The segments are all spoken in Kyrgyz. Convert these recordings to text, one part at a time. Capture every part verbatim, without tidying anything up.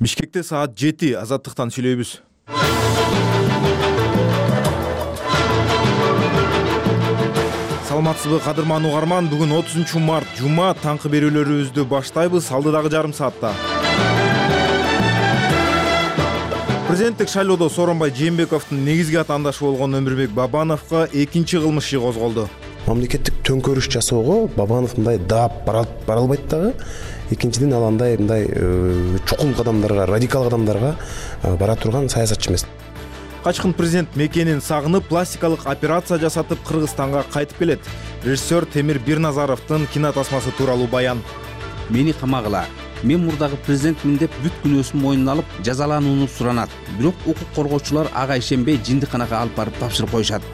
Бишкекте саат жети. Азаттыктан сүйлөйбүз. Саламатсызбы кадырман угарман, бүгүн отузунчу март жума, таңкы берүүлөрүбүздү баштайбыз. Алдыдагы жарым саатта президенттик шайлоодо Сооронбай Жээнбековдун негизги атаандашы болгон Өмүрбек Бабановго экинчи кылмыш иши козголду. Мамлекеттик төңкөрүш жасоого Бабанов мындай даап бара албайт дагы. Экинчиден ал андай мындай чукул кадамдарга, радикал кадамдарга бара турган саясатчы эмес. Качкын президент мекенин сагынып, пластикалык операция жасатып Кыргызстанга кайтып келет. Режиссер Темир Бирназаровдун кинотасмасы тууралуу баян. Мени камагыла. Мен мурдагы президентмин деп бүт күнөөсүн мойнуна алып, жазаланууну суранат. Бирок укук коргоочулар ага ишенбей жиндиканага алып барып тапшырып коюшат.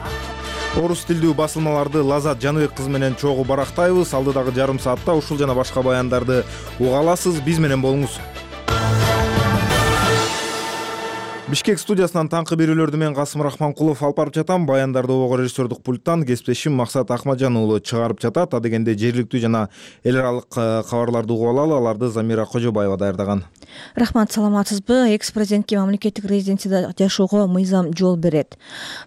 Орус тилдүү басылмаларды Лазат Жаныбек кызы менен чогуу барактайбыз. Алдыдагы жарым саатта ушул жана башка баяндарды уга аласыз. Биз менен болуңуз. Бишкек студиясынан таңкы берүүлөрдү мен Касым Рахманкулов алып барып жатам. Баяндарды обого режиссердук пульттан кесиптешим Максат Акмаджан уулу чыгарып жатат. Адегенде жергиликтүү жана эл аралык кабарларды угуп алалы. Аларды Замира Кожобаева даярдаган. Рахмат, саламатсызбы? Экс-президентке мамлекеттик резиденцияда жашоого мыйзам жол берет.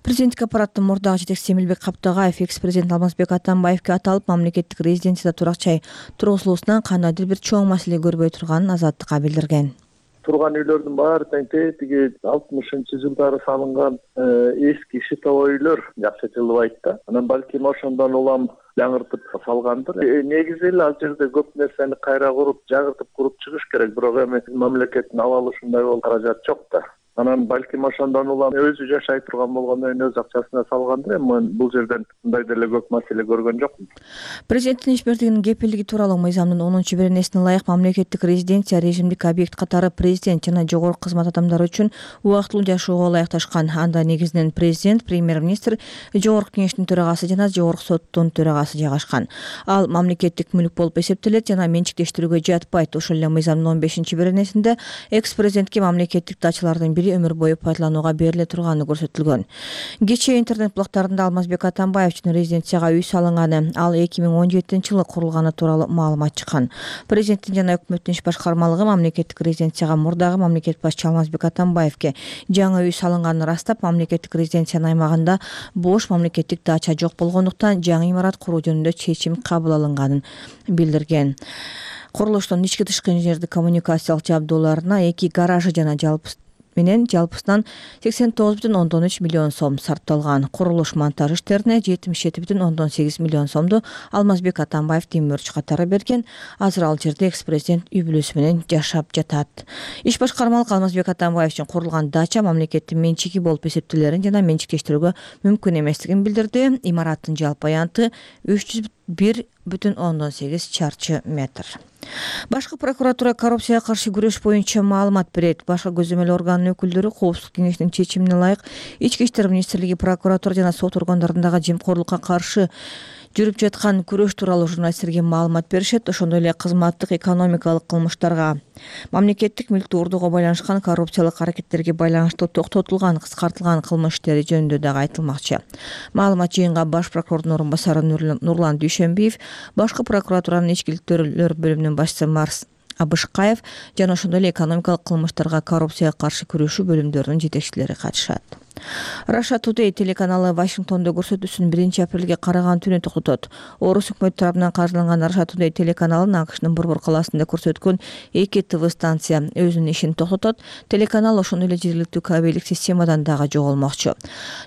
Президенттик аппараттын мурдагы жетекчиси Эмилбек Каптагаев экс-президент Алмазбек Атамбаевге аталып, мамлекеттик резиденцияда турак жай тургузулуусунан кандайдыр бир чоң маселе көрбөй турганын Азаттыкка билдирген. Турган үйлөрдүн баары тең тиги алтымышынчы жылдары салынган эски шитовой үйлөр жакшы жылыбайт да. Анан балким ошондон улам жаңыртып салгандыр. Негизи эле ал жерде көп нерсени кайра куруп, жаңыртып куруп чыгыш керек, бирок эми мамлекеттин абалы ушундай болуп каражат жок да. Анан балким ошондон улам өзү жашай турган болгондон кийин өз акчасына салгандыр. Эми мен бул жерден мындай деле көп маселе көргөн жокмун. Президенттин ишмердигинин кепилдиги тууралуу мыйзамдын онунчу беренесине ылайык мамлекеттик резиденция режимдик объект катары президент жана жогорку кызмат адамдары үчүн убактылуу жашоого ылайыкташкан. Анда негизинен президент, премьер-министр, жогорку кеңештин төрагасы жана жогорку соттун төрагасы жайгашкан. Ал мамлекеттик мүлк болуп эсептелет жана менчиктештирүүгө жатпайт. Ошол эле мыйзамдын он бешинчи беренесинде экс-президентке мамлекеттик дачалардын бири өмүр бою пайдаланууга бериле турганы көрсөтүлгөн. Кечээ интернет блогтарында Алмазбек Атамбаев үчүн резиденцияга үй салынганы, ал эки миң он жетинчи жылы курулганы тууралуу маалымат чыккан. Президенттин жана өкмөттүн иш башкармалыгы мамлекеттик резиденцияга мурдагы мамлекет башчы Алмазбек Атамбаевге жаңы үй салынганын ырастап, мамлекеттик резиденциянын аймагында бош мамлекеттик дача жок болгондуктан жаңы имарат куруу жөнүндө чечим кабыл алынганын билдирген. Курулуштун ички тышкы инженердик коммуникациялык жабдууларына эки гаражы жана жалпы менен жалпысынан сексен тогуз бүтүн ондон үч миллион сом сарпталган. Курулуш монтаж иштерине жетимиш жети бүтүн ондон сегиз миллион сомду Алмазбек Атамбаев демөөрчү катары берген. Азыр ал жерде экс-президент үй бүлөсү менен жашап жатат. Иш башкармалык Алмазбек Атамбаев үчүн курулган дача мамлекеттин менчиги болуп эсептелерин жана менчиктештирүүгө мүмкүн эместигин билдирди. Имараттын жалпы аянты үч жүз бир бүтүн ондон сегиз чарчы метр. Башкы прокуратура коррупцияга каршы күрөш боюнча маалымат берет. Башкы көзөмөл органынын өкүлдөрү Коопсуздук кеңешинин чечимине ылайык Ички иштер министрлиги, прокуратура жана сот органдарындагы жемкорлукка каршы жүрүп жаткан күрөш тууралуу журналисттерге маалымат беришет. Ошондой эле кызматтык, экономикалык кылмыштарга, мамлекеттик мүлктү урдууга байланышкан коррупциялык аракеттерге байланыштуу токтотулган, кыскартылган кылмыш иштери жөнүндө дагы айтылмакчы. Маалымат жыйынга баш прокурордун орун басары Нурлан Дүйшөнбиев, башкы прокуратуранын ички иликтөөлөр бөлүмүнүн башчысы Марс Абышкаев жана ошондой эле экономикалык кылмыштарга, коррупцияга каршы күрөшүү бөлүмдөрүнүн жетекчилери катышат. Russia Today телеканалы Вашингтондо көрсөтүүсүн биринчи апрелге караган түнү токтотот. Орус өкмөтү тарабынан каржыланган Russia Today телеканалын АКШнын Борбор калаасында көрсөткөн эки ТВ станция өзүнүн ишин токтотот. Телеканал ошондой эле жергиликтүү кабелдик системадан дагы жоголмокчу.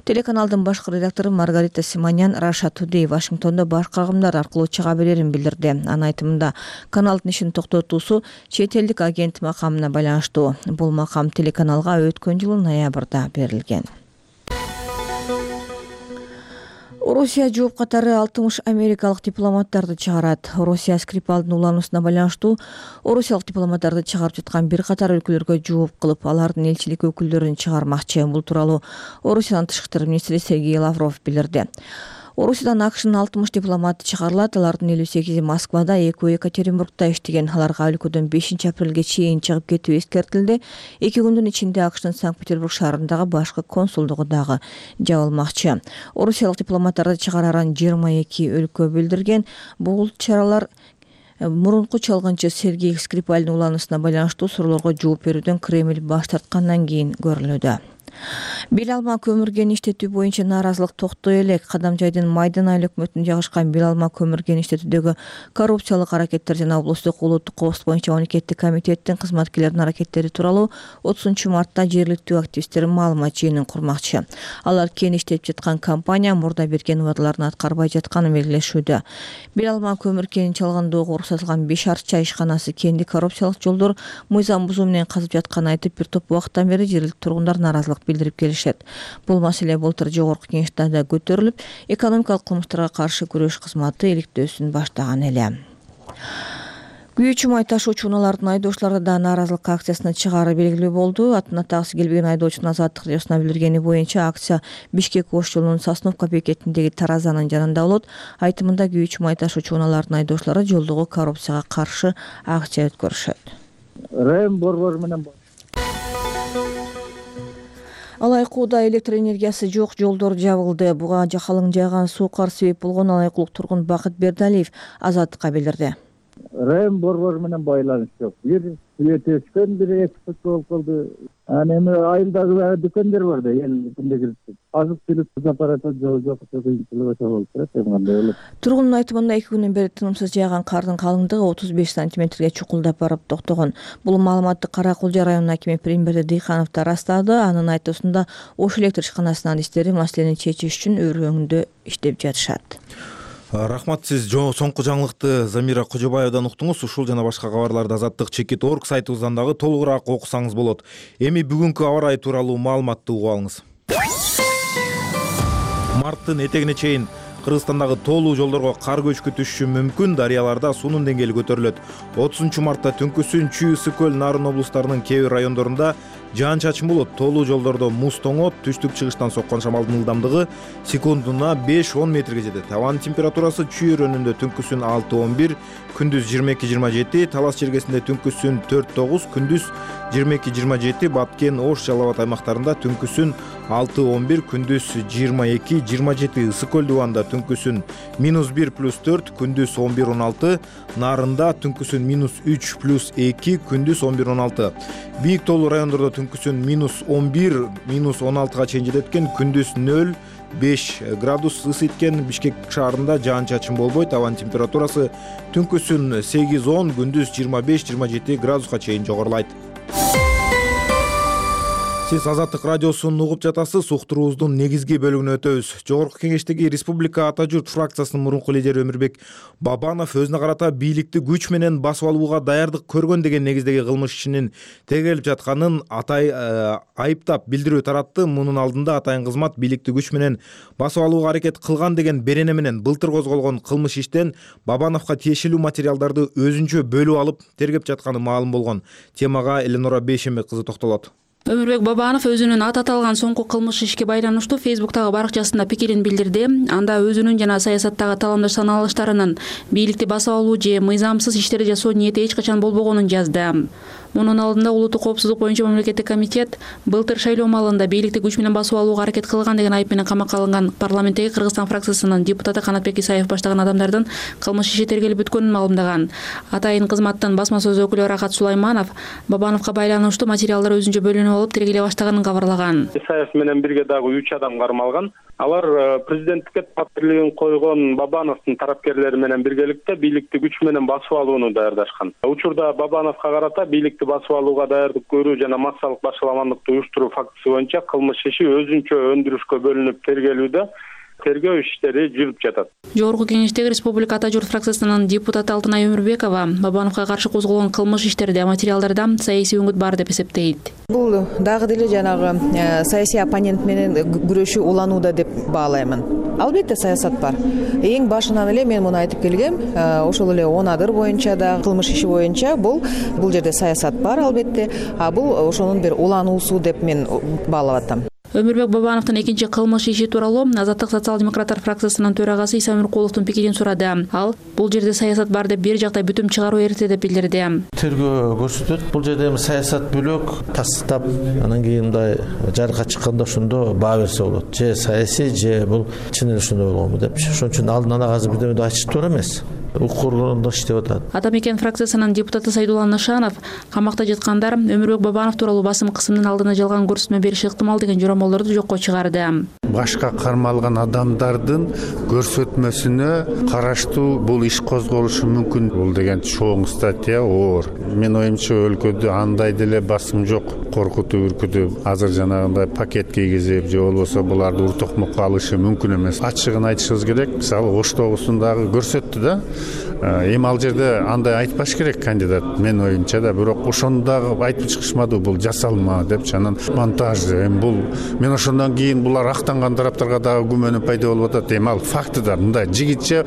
Телеканалдын башкы редактору Маргарита Симонян Russia Today Вашингтондо башка агымдар аркылуу чыга берерин билдирди. Анын айтымында, каналдын ишин токтотуусу чет элдик агент макамына байланыштуу. Бул макам телеканалга өткөн жылы ноябрда берилген. Орусия жооп катары алтымыш америкалык дипломаттарды чыгарат. Орусия Скрипалдын улануусуна байланыштуу орусиялык дипломаттарды чыгарып жаткан бир катар өлкөлөргө жооп кылып, алардын элчилик өкүлдөрүн чыгармакчы. Бул тууралуу Орусиянын тышкы иштер министри Сергей Лавров билдирди. Орусиядан АКШнын алтымыш дипломаты чыгарылат. Алардын элүү сегизи Москвада, экөө Екатеринбургда иштеген. Аларга өлкөдөн бешинчи апрелге чейин чыгып кетүү эскертилди. Эки күндүн ичинде АКШнын Санкт-Петербург шаарындагы башкы консулдугу дагы жабылмакчы. Орусиялык дипломаттарды чыгарарын жыйырма эки өлкө билдирген. Бул чаралар мурунку чалгынчы Сергей Скрипальдын улануусуна байланыштуу суроолорго жооп берүүдөн Кремль баш тарткандан кийин көрүлүүдө. Бел алма көмүр кен иштетүү боюнча нааразылык токтой элек. Кадамжайдын Майдан айыл өкмөтүнө жагышкан бел алма көмүр кен иштетүүдөгү коррупциялык аракеттер жана облустук улуттук коопсуздук боюнча мамлекеттик комитеттин кызматкерлеринин аракеттери тууралуу отузунчу мартта жергиликтүү активисттер маалымат жыйынын курмакчы. Алар кен иштетип жаткан компания мурда берген убадаларын аткарбай жатканын белгилешүүдө. Бел алма көмүр кенин чалгандоого уруксатылган беш арча ишканасы кенди коррупциялык жолдор мыйзам бузуу менен казып жатканын айтып, бир топ убакыттан бери жергиликтүү тургундар нааразылык билдирип келишет. Бул маселе былтыр жогорку кеңеште да көтөрүлүп, экономикалык кылмыштарга каршы күрөш кызматы иликтөөсүн баштаган эле. Күйүүчү май ташуучу унаалардын айдоочулары да нааразылык акциясына чыгаары белгилүү болду. Атын атагысы келбеген айдоочунун Азаттык радиосуна билдиргени боюнча акция Бишкек ош жолунун Сосновка бекетиндеги таразанын жанында болот. Айтымында күйүүчү май ташуучу унаалардын айдоочулары жолдогу коррупцияга каршы акция өткөрүшөт. Район борбору менен Алайкууда электр энергиясы жок жолдор жабылды. Буга жакалың жааган суу кар себеп болгон алайкулук тургун Бакыт Бердалиев Азаттыкка билдирди. Район борбору менен байланыш жок. Бир свет өчкөн, бир эки сутка болуп калды. Анан эми айылдагы дүкөндөр бар да, эл күндө кирип. Азык түлүк аппараты жок, жок, кыйынчылык болуп турат, эми кандай болот. Тургундун айтымында эки күндөн бери тынымсыз жааган кардын калыңдыгы отуз беш сантиметрге чукулдап барып токтогон. Бул маалыматты Кара Кулжа районунун акими Примберди Дыйханов да растады. Анын айтуусунда Ош электр ишканасынын адистери маселени чечиш үчүн өр өңдө иштеп жатышат. Рахмат, сиз соңку жаңылыкты Замира Кожобаевадан уктуңуз. Ушул жана башка кабарларды Азаттык чекит точка орг сайтыбыздан дагы толугураак окусаңыз болот. Эми бүгүнкү аба ырайы тууралуу маалыматты угуп алыңыз. Марттын этегине чейин Кыргызстандагы тоолуу жолдорго кар көчкү түшүшү мүмкүн. Дарыяларда суунун деңгээли көтөрүлөт. отузунчу мартта Түнкүсүн, Чүй, Ысык көл, Нарын облустарынын кээ бир райондорунда жаан-чачын болот. Тоолуу жолдордо муз тоңот, түштүк чыгыштан соккон шамалдын ылдамдыгы секундуна беш он метрге жетет. Абанын температурасы Чүй районунда Түнкүсүн алты он бир, күндүз жыйырма эки жыйырма жети, Талас жергесинде Түнкүсүн төрт тогуз, күндүз жыйырма эки жыйырма жети, Баткен, Ош, Жалал Абад аймактарында Түнкүсүн алты он бир, күндүз жыйырма эки жыйырма жети, Ысык көл дубанда Түнкүсүн минус бир плюс төрт, күндүз он бир он алты, Нарында Түнкүсүн минус үч плюс эки, күндүз он бир он алты. Бийик тоолуу райондордо Түнкүсүн минус он бир, минус он алтыга чейин жетет экен, күндүз нөл беш градус ысыйт экен. Бишкек шаарында жаан-чачын болбойт. Абанын температурасы Түнкүсүн сегиз он, күндүз жыйырма беш жыйырма жети градуска чейин жогорулайт. Сиз Азаттык радиосун угуп жатасыз. Уктуруубуздун негизги бөлүгүнө өтөбүз. Жогорку кеңештеги Республика Ата журт фракциясынын мурунку лидери Өмүрбек Бабанов өзүнө карата бийликти күч менен басып алууга даярдык көргөн деген негиздеги кылмыш ишинин тергелип жатканын атай айыптап билдирүү таратты. Мунун алдында атайын кызмат бийликти күч менен басып алууга аракет кылган деген берене менен былтыр козголгон кылмыш иштен Бабановго тиешелүү материалдарды өзүнчө бөлүп алып тергеп жатканы маалым болгон. Темага Эленора Бейшембек кызы токтолот. Өмүрбек Бабанов өзүнүн аты аталган соңку кылмыш ишке байланыштуу Фейсбуктагы баракчасында пикирин билдирди. Анда өзүнүн жана саясаттагы таландаш саналыштарынын бийликти басып алуу же мыйзамсыз иштерди жасоо ниети эч качан болбогонун жазды. Мунун алдында улуттук коопсуздук боюнча мамлекеттик комитет былтыр шайлоо маалында бийликти күч менен басып алууга аракет кылган деген айып менен камакка алынган парламенттеги Кыргызстан фракциясынын депутаты Канатбек Исаев баштаган адамдардын кылмыш иши тергелип бүткөнүн маалымдаган. Атайын кызматтын басма сөз өкүлү Рахат Сулайманов Бабановго байланыштуу материалдар өзүнчө бөлүнүп алып тергеле баштаганын кабарлаган. Исаев менен бирге дагы үч адам кармалган. Алар президенттикке талапкерлигин койгон Бабановдун тарапкерлери менен биргеликте бийликти күч менен басып алууну даярдашкан. Учурда Бабановго карата бийликти басып алууга даярдык көрүү жана массалык башаламандыкты уюштуруу фактысы боюнча кылмыш иши өзүнчө өндүрүшкө бөлүнүп тергелүүдө. Тергөө иштери жүрүп жатат. Жогорку кеңештеги Республика Ата журт фракциясынын депутаты Алтынай Өмүрбекова Бабановго каршы козголгон кылмыш иштерде материалдарда саясий үңүт бар деп эсептейт. Бул дагы деле жанагы саясий оппонент менен күрөшүү уланууда деп баалаймын. Албетте саясат бар. Эң башынан эле мен муну айтып келгем. Ошол эле он адыр боюнча да кылмыш иши боюнча бул бул жерде саясат бар албетте. А бул ошонун бир улануусу деп мен баалап атам. Өмүрбек Бабановдун экинчи кылмыш иши тууралуу Азаттык социал-демократтар фракциясынын төрагасы Иса Өмүркуловдун пикирин сурады. Ал бул жерде саясат бар деп бир жактай бүтүм чыгаруу эрте деп билдирди. Тергөө көрсөтөт. Бул жерде эми саясат бөлөк, тастап, анан кийин мындай жарыкка чыкканда ошондо баа берсе болот. Же саясий, же бул чын эле ошондой болгонбу деп. Ошон үчүн алдынан азыр бирдеме айтышып туура эмес. укук органында иштеп атат. Ата мекен фракциясынын депутаты Сайдулла Нышанов камакта жаткандар Өмүрбек Бабанов тууралуу басым кысымдын алдына жалган көрсөтмө бериши ыктымал деген жоромолдорду жокко чыгарды. Башка кармалган адамдардын көрсөтмөсүнө караштуу бул иш козголушу мүмкүн. Бул деген чоң статья, оор. Мен оюмча өлкөдө андай деле басым жок. Коркутуп, үркүтүп, азыр жанагындай пакет кийгизип, же болбосо буларды ур токмокко алышы мүмкүн эмес. Ачыгын айтышыбыз керек. Мисалы Ош тогусундагы көрсөттү да. Эми ал жерде андай айтпаш керек кандидат. Мен оюмча да, бирок ошондо дагы айтып чыгышмады, бул жасалма деп, анан монтаж. Эми бул мен ошондон кийин булар актанган тараптарга дагы күмөнү пайда болуп атат. Эми ал факты да мындай жигитче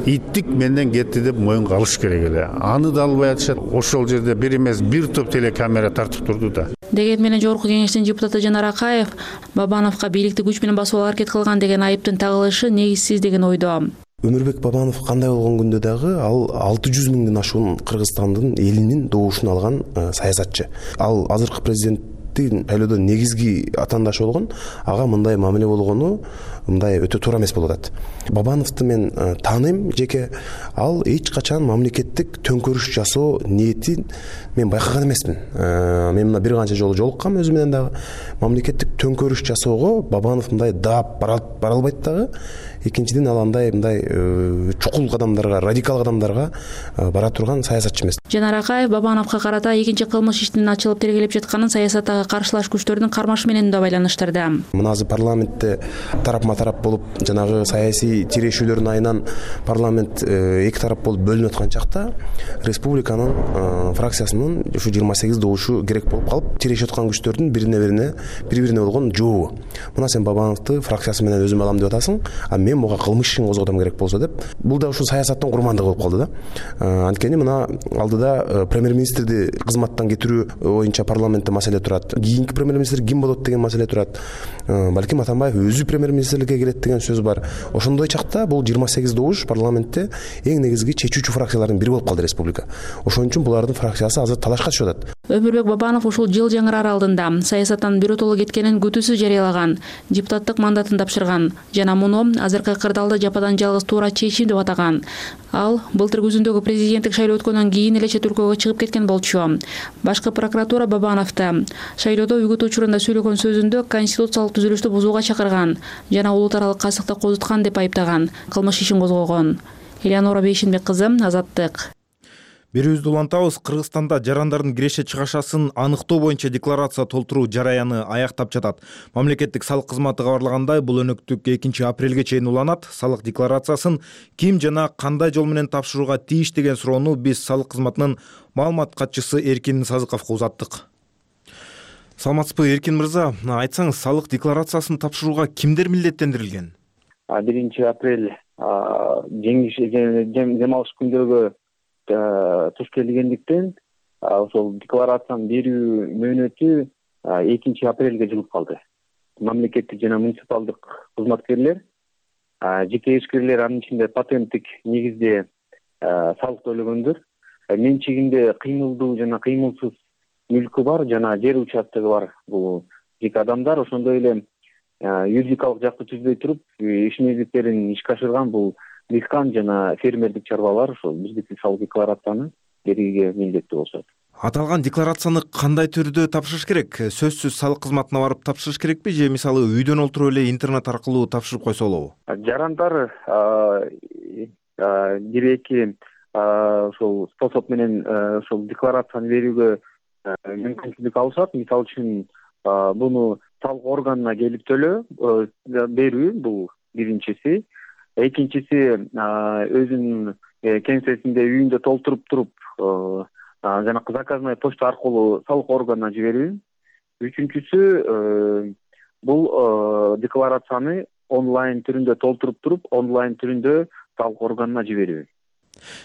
иттик менден кетти деп моюнга алыш керек эле. Аны да албай атышат. Ошол жерде бир эмес бир топ телекамера тартып турду да. Деген менен жогорку кеңештин депутаты Жанар Акаев Бабановго бийликти күч менен басууга аракет кылган деген айыптын тагылышы негизсиз деген ойдо. Өмүрбек Бабанов кандай болгон күндө дагы ал алты жүз миңден ашуун Кыргызстандын элинин добушун алган саясатчы. Ал азыркы президенттин шайлоодо негизги атаандашы болгон, ага мындай мамиле болгону мындай өтө туура эмес болуп атат. Бабановду мен тааныйм жеке, ал эч качан мамлекеттик төңкөрүш жасоо ниетин мен байкаган эмесмин. Мен мына бир канча жолу жолуккам өзү менен дагы. Мамлекеттик төңкөрүш жасоого Бабанов мындай даап бара албайт дагы. Экинчиден ал андай мындай чукул кадамдарга, радикал кадамдарга бара турган саясатчы эмес. Жанар Акаев Бабановго карата экинчи кылмыш иштин ачылып тергелеп жатканын саясаттагы каршылаш күчтөрдүн кармашы менен да байланыштырды. Мына азыр парламентте тарапма тарап болуп, жанагы саясий тирешүүлөрдүн айынан парламент эки тарап болуп бөлүнүп аткан чакта республиканын фракциясынын ушу жыйырма сегиз добушу керек болуп калып, тирешип аткан күчтөрдүн бирине-бирине бири-бирине болгон жообу. Мына сен Бабановду фракциясы менен өзүм алам деп атасың, а мен буга кылмыш ишин козготом керек болсо деп. Бул да ушул саясаттын курмандыгы болуп калды да. Анткени мына алдыда премьер-министрди кызматтан кетирүү боюнча парламентте маселе турат. Кийинки премьер-министр ким болот деген маселе турат. Балким Атамбаев өзү премьер-министрликке келет деген сөз бар. Ошондой чакта бул жыйырма сегиз добуш парламентте эң негизги чечүүчү фракциялардын бири болуп калды республика. Ошон үчүн булардын фракциясы азыр талашка түшүп атат. Өмүрбек Бабанов ушул жыл жаңырар алдында саясаттан биротоло кеткенин күтүүсүз жарыялаган, депутаттык мандатын тапшырган жана муну азыркы кырдаалды жападан жалгыз туура чечим деп атаган. Ал былтыр күзүндөгү президенттик шайлоо өткөндөн кийин эле чет өлкөгө чыгып кеткен болчу. Башкы прокуратура Бабановду шайлоодо үгүт учурунда сөйлөгөн сөзүндө конституциялык түзүлүштү бузууга чакырган жана улут аралык касыкты козуткан деп айыптаган, кылмыш ишин козгогон. Элеонора Бейшенбек кызы, Азаттык. Берүүбүздү улантабыз. Кыргызстанда жарандардын киреше чыгашасын аныктоо боюнча декларация толтуруу жараяны аяктап жатат. Мамлекеттик салык кызматы кабарлагандай, бул өнөктүк экинчи апрелге чейин уланат. Салык декларациясын ким жана кандай жол менен тапшырууга тийиш деген суроону биз салык кызматынын маалымат катчысы Эркин Сазыковго узаттык. Саламатсызбы, Эркин мырза? Айтсаңыз, салык декларациясын тапшырууга кимдер милдеттендирилген? биринчи апрель дем алыш күндөргө туш келгендиктен ошол декларацияны берүү мөөнөтү экинчи апрелге жылып калды. Мамлекеттик жана муниципалдык кызматкерлер, жеке ишкерлер, анын ичинде патенттик негизде салык төлөгөндөр, менчигинде кыймылдуу жана кыймылсыз мүлкү бар жана жер участогу бар бул жеке адамдар, ошондой эле юридикалык жакты түзбөй туруп иш мезгиттерин ишке ашырган бул дыйкан жана фермердик чарбалар ошол бирдиктүү салык декларацияны берүүгө милдеттүү болушат. Аталган декларацияны кандай түрдө тапшырыш керек? Сөзсүз салык кызматына барып тапшырыш керекпи же мисалы үйдөн олтуруп эле интернет аркылуу тапшырып койсо болобу? Жарандар бир эки ошол способ менен ошол декларацияны берүүгө мүмкүнчүлүк алышат. Мисалы үчүн буну салык органына келип төлөө берүү, бул биринчиси. Экинчиси өзүнүн кеңсесинде үйүндө толтуруп туруп жана заказной почта аркылуу салык органына жиберүү. Үчүнчүсү бул декларацияны онлайн түрүндө толтуруп туруп, онлайн түрүндө салык органына жиберүү.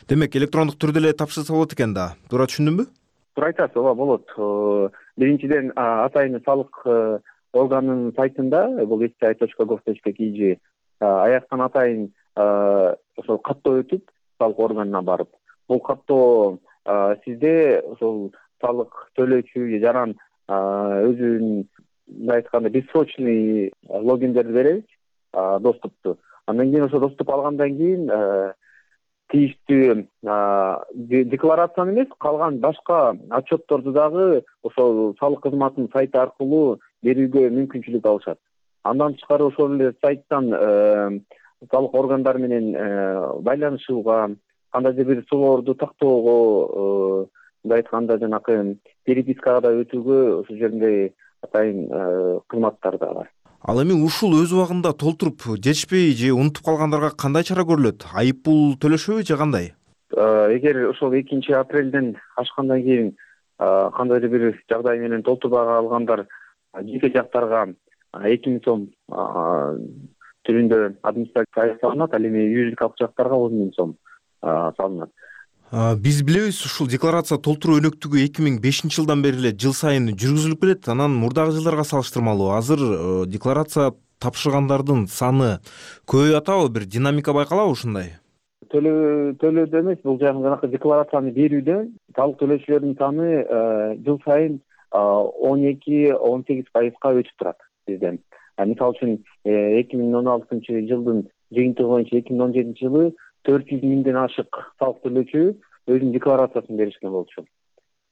Демек, электрондук түрдө эле тапшырса болот экен да. Туура түшүндүмбү? Туура айтасыз, ооба болот. Биринчиден атайын салык органынын сайтында, бул эс ти ай точка гов точка кей жи аяктан атайын ошол каттоо өтүп, салык органына барып, бул каттоо сизде ошол салык төлөөчү же жаран өзүнүн мындай айтканда бессрочный логиндерди беребиз, доступту. Андан кийин ошо доступ алгандан кийин тийиштүү декларацияны эмес, калган башка отчетторду дагы ошол салык кызматынын сайты аркылуу берүүгө мүмкүнчүлүк алышат. Андан тышкары ошол эле сайттан салык органдары менен байланышууга, кандайдыр бир суроолорду тактоого, мындай айтканда жанакы перепискага да өтүүгө ошол жерде атайын кызматтар да бар. Ал эми ушул өз убагында толтуруп жетишпей же унутуп калгандарга кандай чара көрүлөт? Айып пул төлөшөбү же кандай? Эгер ошол экинчи апрелден ашкандан кийин кандайдыр бир жагдай менен толтурбай калгандар жеке жактарга эки миң сом түрүндө администрация салынат, ал эми юридикалык жактарга он миң сом салынат. Биз билебиз, ушул декларация толтуруу өнөктүгү эки миң бешинчи жылдан бери эле жыл сайын жүргүзүлүп келет. Анан мурдагы жылдарга салыштырмалуу азыр декларация тапшыргандардын саны көбөйүп атабы, бир динамика байкалабы ушундай? Төлөөдө эмес, бул жанагы декларацияны берүүдө салык төлөөчүлөрдүн саны жыл сайын он эки он сегиз пайызга өсүп турат бизден. Мисалы үчүн эки миң он алтынчы жылдын жыйынтыгы боюнча эки миң он жетинчи жылы төрт жүз миңден ашык салык төлөөчү өзүнүн декларациясын беришкен болчу.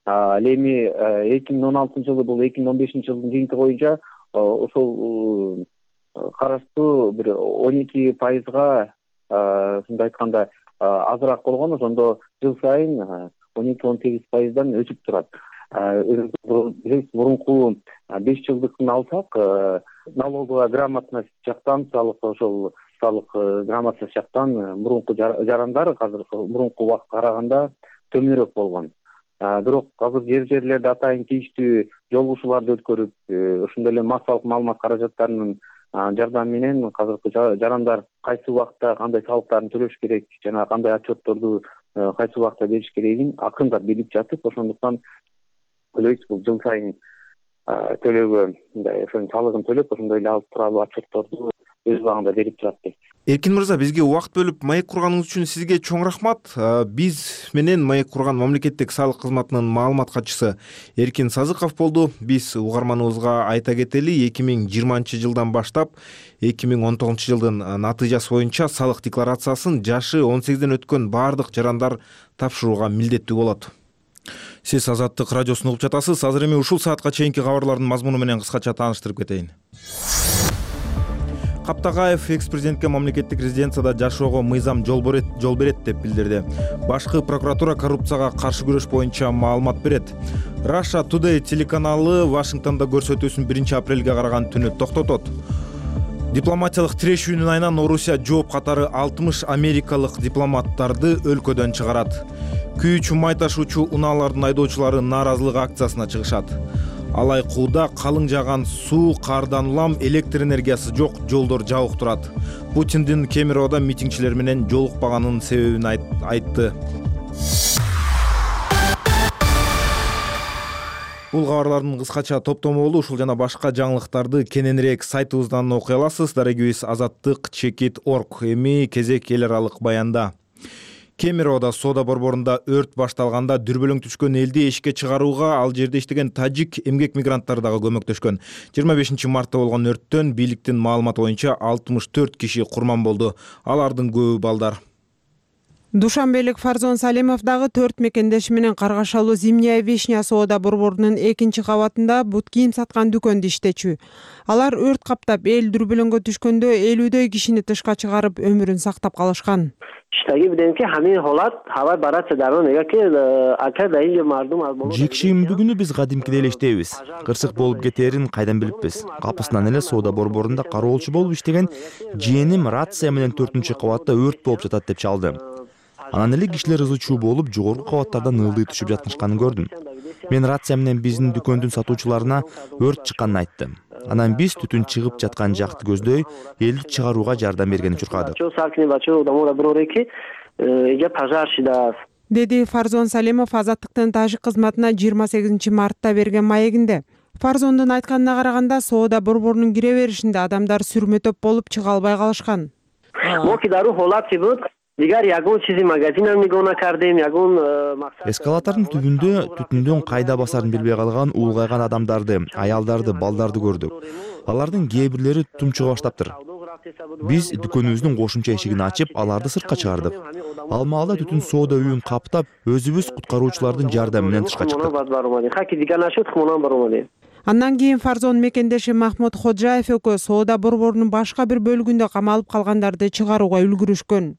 Ал эми эки миң он алтынчы жылы бул эки миң он бешинчи жылдын жыйынтыгы боюнча ошол караштуу бир он эки пайызга, мындай айтканда, азыраак болгон, ошондо жыл сайын он эки он сегиз пайыздан өсүп турат. Мурунку беш жылдыкын алсак, налоговая грамотность жактан, салык ошол салык грамотность жактан мурунку жарандар азыр мурунку убакытка караганда төмөнүрөөк болгон. Бирок азыр жер жерлерде атайын тийиштүү жолугушууларды өткөрүп, ошондой эле массалык маалымат каражаттарынын жардамы менен азыркы жарандар кайсы убакта кандай салыктарын төлөш керек жана кандай отчетторду кайсы убакта бериш керегин акырындап билип жатып, ошондуктан ойлойбуз бул жыл сайын төлөөгө, мындай ошонун салыгын төлөп, ошондой эле алып туралуу отчетторду өз убагында берип турат дейт. Эркин мырза, бизге убакыт бөлүп маек курганыңыз үчүн сизге чоң рахмат. Биз менен маек курган мамлекеттик салык кызматынын маалымат катчысы Эркин Сазыков болду. Биз угарманыбызга айта кетели, эки миң жыйырманчы жылдан баштап эки миң он тогузунчу жылдын натыйжасы боюнча салык декларациясын жашы он сегизден өткөн баардык жарандар тапшырууга милдеттүү болот. Сиз Азаттык радиосун угуп жатасыз. Азыр эми ушул саатка чейинки кабарлардын мазмуну менен кыскача тааныштырып кетейин. Каптагаев экс-президентке мамлекеттик резиденцияда жашоого мыйзам жол берет деп билдирди. Башкы прокуратура коррупцияга каршы күрөш боюнча маалымат берет. Russia Today телеканалы Вашингтондо көрсөтүүсүн биринчи апрелге караган түнү токтотот. Дипломатиялык тирешүүнүн айынан Орусия жооп катары алтымыш америкалык дипломаттарды өлкөдөн чыгарат. Күйүүчү май ташуучу унаалардын айдоочулары нааразылык акциясына чыгышат. Алай кууда калың жааган суу, кардан улам, электр энергиясы жок жолдор жабык турат. Путиндин Кемеровдо митингчилер менен жолукпаганынын себебин айтты. Бул кабарлардын кыскача топтому болду. Ушул жана башка жаңылыктарды кененирээк сайтыбыздан окуй аласыз. Дарегибиз азаттык чекит точка орг. Эми кезек эл аралык баянда. Кемеровдо соода борборунда өрт башталганда дүрбөлөң түшкөн элди эшикке чыгарууга ал жерде иштеген тажик эмгек мигранттары дагы көмөктөшкөн. жыйырма бешинчи мартта болгон өрттөн бийликтин маалыматы боюнча алтымыш төрт киши курман болду. Алардын көбү балдар. Душанбелик Фарзон Салимов дагы төрт мекендеши менен Каргашалуу Зимняя Вишня соода борборунун экинчи кабатында бут кийим саткан дүкөндө иштечү. Алар өрт каптап, эл дүрбөлөңгө түшкөндө элүүдөй кишини тышка чыгарып, өмүрүн сактап калышкан. Жекшемдүгүнү биз кадимкидей эле иштейбиз. Кырсык болуп кетээрин кайдан билиппиз? Капысынан эле соода борборунда кароолчу болуп иштеген жээним рация менен төртүнчү кабатта өрт болуп жатат деп чалды. Анан эле кишилер ызы чуу болуп, жогорку кабаттардан ылдый түшүп жатышканын көрдүм. Мен рация менен биздин дүкөндүн сатуучуларына өрт чыкканын айттым. Анан биз түтүн чыгып жаткан жакты көздөй, элди чыгарууга жардам бергени чуркадык. Деди Фарзон Салимов Азаттыктын тажик кызматына жыйырма сегизинчи мартта берген маегинде. Фарзондун айтканына караганда, соода борборунун кире беришинде адамдар сүрмө-төп болуп чыга албай калышкан. Эскалатордун түбүндө түтүндөн кайда басарын билбей калган улгайган адамдарды, аялдарды, балдарды көрдүк. Алардын кээ тумчуга баштаптыр. Биз дүкөнүбүздүн кошумча эшигин ачып, аларды сыртка чыгардык. Ал маалда түтүн соода үйүн каптап, өзүбүз куткаруучулардын жардамы менен тышка чыктык. Андан кийин Фарзон мекендеши Махмуд Ходжаев экөө соода борборунун башка бир бөлүгүндө камалып калгандарды чыгарууга үлгүрүшкөн.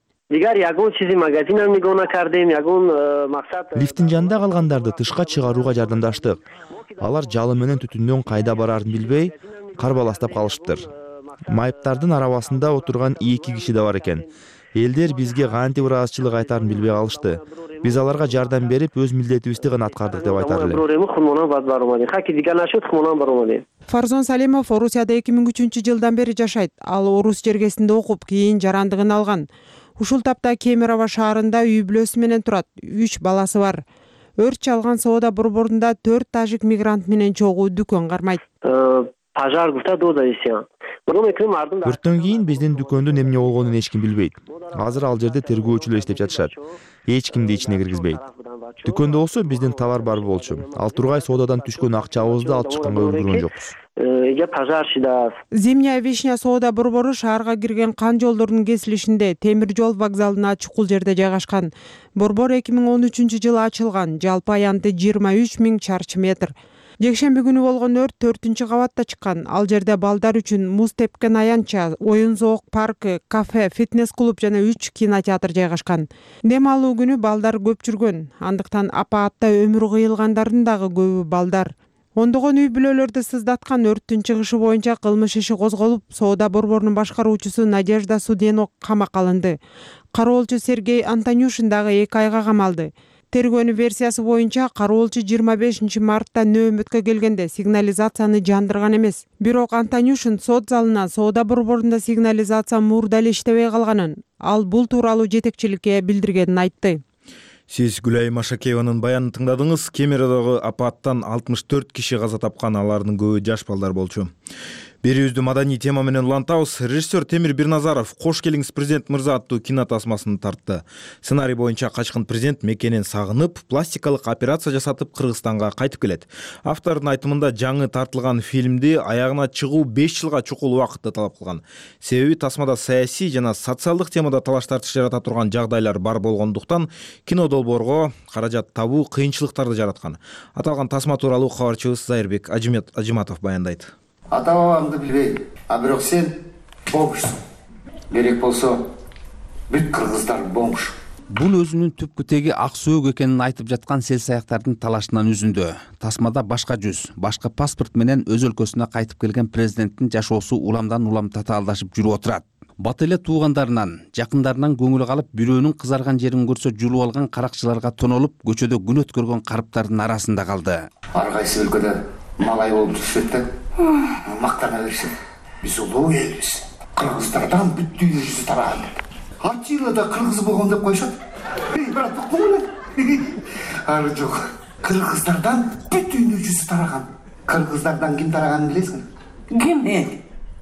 Лифтин жанында калгандарды тышка чыгарууга жардамдаштык. Алар жалын менен түтүндөн кайда бараарын билбей, карбаластап калышыптыр. Майыптардын арабасында отурган эки киши да бар экен. Элдер бизге кантип ыраазычылык айтаарын билбей калышты. Биз аларга жардам берип, өз милдетибизди гана аткардык деп айтар элем. Фарзон Салимов Орусияда эки миң үчүнчү жылдан бери жашайт. Ал орус жергесинде окуп, кийин жарандыгын алган. Ушул тапта Кемерово шаарында үй бүлөсү менен турат. үч баласы бар. Өрт чалган соода борборунда төрт тажик мигрант менен чогуу дүкөн кармайт. Өрттөн кийин биздин дүкөндүн эмне болгонун эч ким билбейт. Азыр ал жерде тергөөчүлөр иштеп жатышат. Эч кимди ичине киргизбейт. Дүкөндө болсо биздин товар бар болчу. Ал тургай соодадан түшкөн акчабызды алып чыкканга үлгүргөн жокпуз. Зимняя вишня соода борбору шаарга кирген кан жолдорунун кесилишинде темир жол вокзалына чукул жерде жайгашкан. Борбор эки миң он үчүнчү жылы ачылган. Жалпы аянты жыйырма үч миң чарчы метр. Жекшемби күнү болгон өрт төртүнчү кабатта чыккан. Ал жерде балдар үчүн муз тепкен аянтча, оюн зоок паркы, кафе, фитнес клуб жана үч кинотеатр жайгашкан. Дем алуу күнү балдар көп жүргөн. Андыктан апаатта өмүрү кыйылгандардын дагы көбү балдар. Ондогон үй бүлөлөрдү сызддаткан өрттүн чыгышы боюнча кылмыш иши козголуп, соода борборунун башкаруучусу Надежда Судено камакка алынды. Кароолчу Сергей Антонюшин дагы эки айга камалды. Тергөөнүн версиясы боюнча кароолчу жыйырма бешинчи мартта нөөмөткө келгенде сигнализацияны жандырган эмес. Бирок Антонюшин сот залынан соода борборунда сигнализация мурда эле иштебей калганын, ал бул тууралуу жетекчиликке билдиргенин айтты. Сиз Гүлай Машакееванын баянын тыңдадыңыз. Кемеродогу апаттан алтымыш төрт киши каза тапкан, алардын көбү жаш балдар болчу. Берүүбүздү маданий тема менен улантабыз. Режиссер Темир Бирназаров «Кош келиңиз президент мырза» аттуу кино тасмасын тартты. Сценарий боюнча качкын президент мекенин сагынып, пластикалык операция жасатып Кыргызстанга кайтып келет. Автордун айтымында жаңы тартылган фильмди аягына чыгуу беш жылга чукул убакытты талап кылган. Себеби тасмада саясий жана социалдык темада талаш тартыш жарата турган жагдайлар бар болгондуктан кино долбоорго каражат табуу кыйынчылыктарды жараткан. Аталган тасма тууралуу кабарчыбыз Зайырбек Ажиматов баяндайт. Ата бабамды билбейм, а бирок сен бомжсуң. Керек болсо бүт кыргыздар бомж. Бул өзүнүн түпкү теги ак сөөк экенин айтып жаткан сел-саяктардын талашынан үзүндү. Тасмада башка жүз, башка паспорт менен өз өлкөсүнө кайтып келген президенттин жашоосу уламдан улам татаалдашып жүрүп отурат. Бат эле туугандарынан, жакындарынан көңүлү калып, бирөөнүн кызарган жерин көрсө жулуп алган каракчыларга тонолуп, көчөдө күн өткөргөн карыптардын арасында калды. Ар кайсы өлкөдө малай болуп жүрүшөт да, мактана беришет. Биз улуу элбиз. Кыргыздардан бүт дүйнө жүзү тараган. Ачыйлада кыргыз болгон деп койшот. Эй, брат, уктуңбу? Ары жок. Кыргыздардан бүт дүйнө жүзү тараган. Кыргыздардан ким тараганын билесиңби? Ким?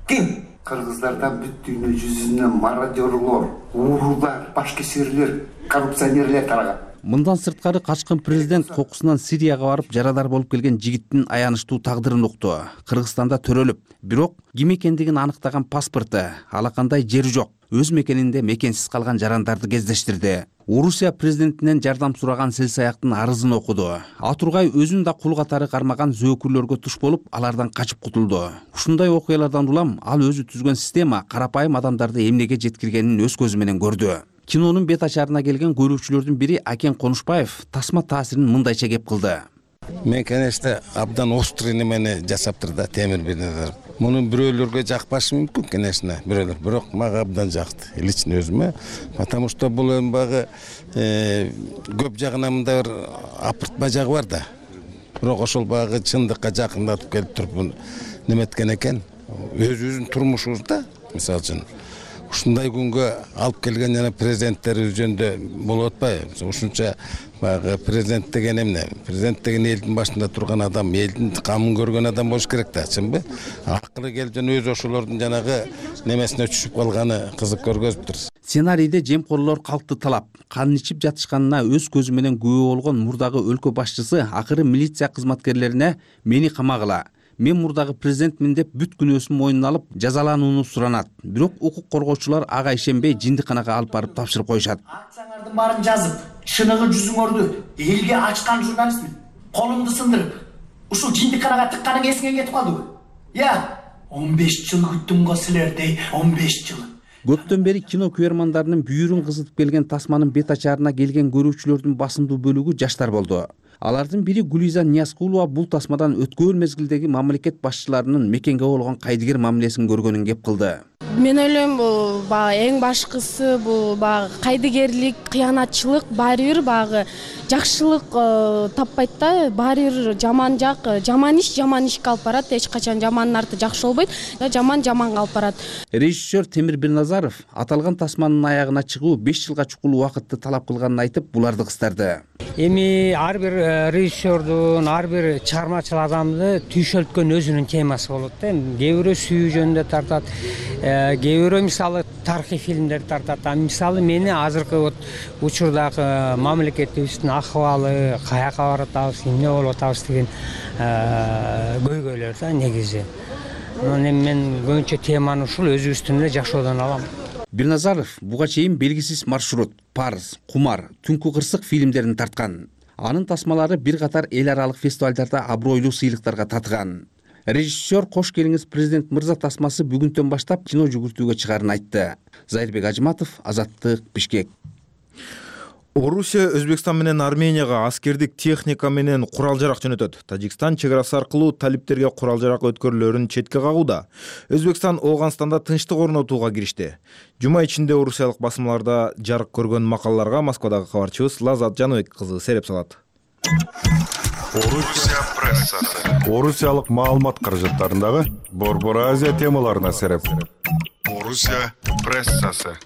Ким? Кыргыздардан бүт дүйнө жүзүнө мародёрлор, уурулар, башкесирлер, коррупционерлер тараган. Мындан сырткары качкын президент кокусунан Сирияга барып жарадар болуп келген жигиттин аянычтуу тагдырын укту. Кыргызстанда төрөлүп, бирок ким экендигин аныктаган паспорту, алакандай жери жок. Өз мекенинде мекенсиз калган жарандарды кездештирди. Орусия президентинен жардам сураган сел-саяктын арызын окуду. Атургай өзүн да кул катары кармаган зөөкүрлөргө туш болуп, алардан качып кутулду. Ушундай окуялардан улам ал өзү түзгөн система карапайым адамдарды эмнеге жеткиргенин өз көзү менен көрдү. Кинонун бет ачарына келген көрүүчүлөрдүн бири Акен Конушбаев тасма таасирин мындайча кеп кылды. Мен конечно абдан острый немени жасаптыр да Темир Бирназаров. Муну бирөөлөргө жакпашы мүмкүн, конечно, бирөөлөр, бирок мага абдан жакты. Лично өзүмө, потому что бул эми багы көп жагынан мындай бир апыртма жагы бар да. Бирок ошол багы чындыкка жакындатып келип туруп неметкен экен. Өзүбүздүн турмушубузда, мисалы үчүн ушундай күнгө алып келген жана президенттер жөнүндө болуп атпайбы? Ушунча баягы президент деген эмне? Президент деген элдин башында турган адам, элдин камын көргөн адам болуш керек да, чынбы? Акыры келип жана өз ошолордун жанагы немесине түшүп калганы кызык көргөзүптүр. Сценарийде жемкорлор калкты талап, кан ичип жатышканына өз көзү менен күбө болгон мурдагы өлкө башчысы акыры милиция кызматкерлерине «Мени камагыла, мен мурдагы президентмин деп бүт күнөөсүн мойнуна алып жазаланууну суранат. Бирок укук коргоочулар ага ишенбей жиндиканага алып барып тапшырып коюшат. Акчаңардын баарын жазып, шыныгы жүзүңөрдү элге ачкан журналистмин. Колумду сындырып, ушул жиндиканага тыкканың эсиңен кетип калдыбы? Я, он беш жыл күттүм го силерди, он беш жыл. Көптөн бери кино көрөрмандарынын бүйүрүн кызытып келген тасманын бет ачаарына келген көрүүчүлөрдүн басымдуу бөлүгү жаштар болду. Алардын бири Гулиза Ниязкулова бул тасмадан өткөн мезгилдеги мамлекет башчыларынын мекенге болгон кайдыгер мамилесин көргөнүн кеп кылды. Мен ойлойм, бул баягы эң башкысы бул баягы кайдыгерлик, кыянатчылык баары бир баягы жакшылык таппайт да, баары бир жаман жак, жаман иш жаман ишке алып барат, эч качан жамандын арты жакшы болбойт, жаман жаманга алып барат. Режиссер Темир Бирназаров аталган тасманын аягына чыгуу беш жылга чукул убакытты талап кылганын айтып, буларды кыстарды. Эми ар бир режиссердун, ар бир чыгармачыл адамды түйшөлткөн өзүнүн темасы болот да. Кээ бирөө сүйүү жөнүндө тартат, кээ бирөө мисалы тарыхый фильмдер тартат. А мисалы мени азыркы вот учурдагы мамлекетибиздин акыбалы, каяка баратабыз, эмне болуп атабыз деген көйгөйлөр да негизи. Эми мен көбүнчө теманы ушул өзүбүздүн эле жашоодон алам. Бирназаров буга чейин белгисиз маршрут, Парыз, Кумар, Түнкү кырсык фильмдерин тарткан. Анын тасмалары бир катар эл аралык фестивалдарда абройлуу сыйлыктарга татыган. Режиссер «Кош келиңиз, президент мырза» тасмасы бүгүндөн баштап кино жүгүртүүгө чыгарын айтты. Зайырбек Ажыматов, Азаттык, Бишкек. Орусия Өзбекстан менен Арменияга аскердик техника менен курал-жарак жөнөтөт. Тажикстан чек арасы аркылуу талиптерге курал-жарак өткөрүүлөрүн четке кагууда. Өзбекстан Ооганстанда тынчтык орнотууга киришти. Жума ичинде орусиялык басмаларда жарык көргөн макалаларга Москвадагы кабарчыбыз Лазат Жаныбек кызы сереп салат. Орусия прессасы. Орусиялык маалымат каражаттарындагы Борбор Азия темаларына сереп. Орусия прессасы.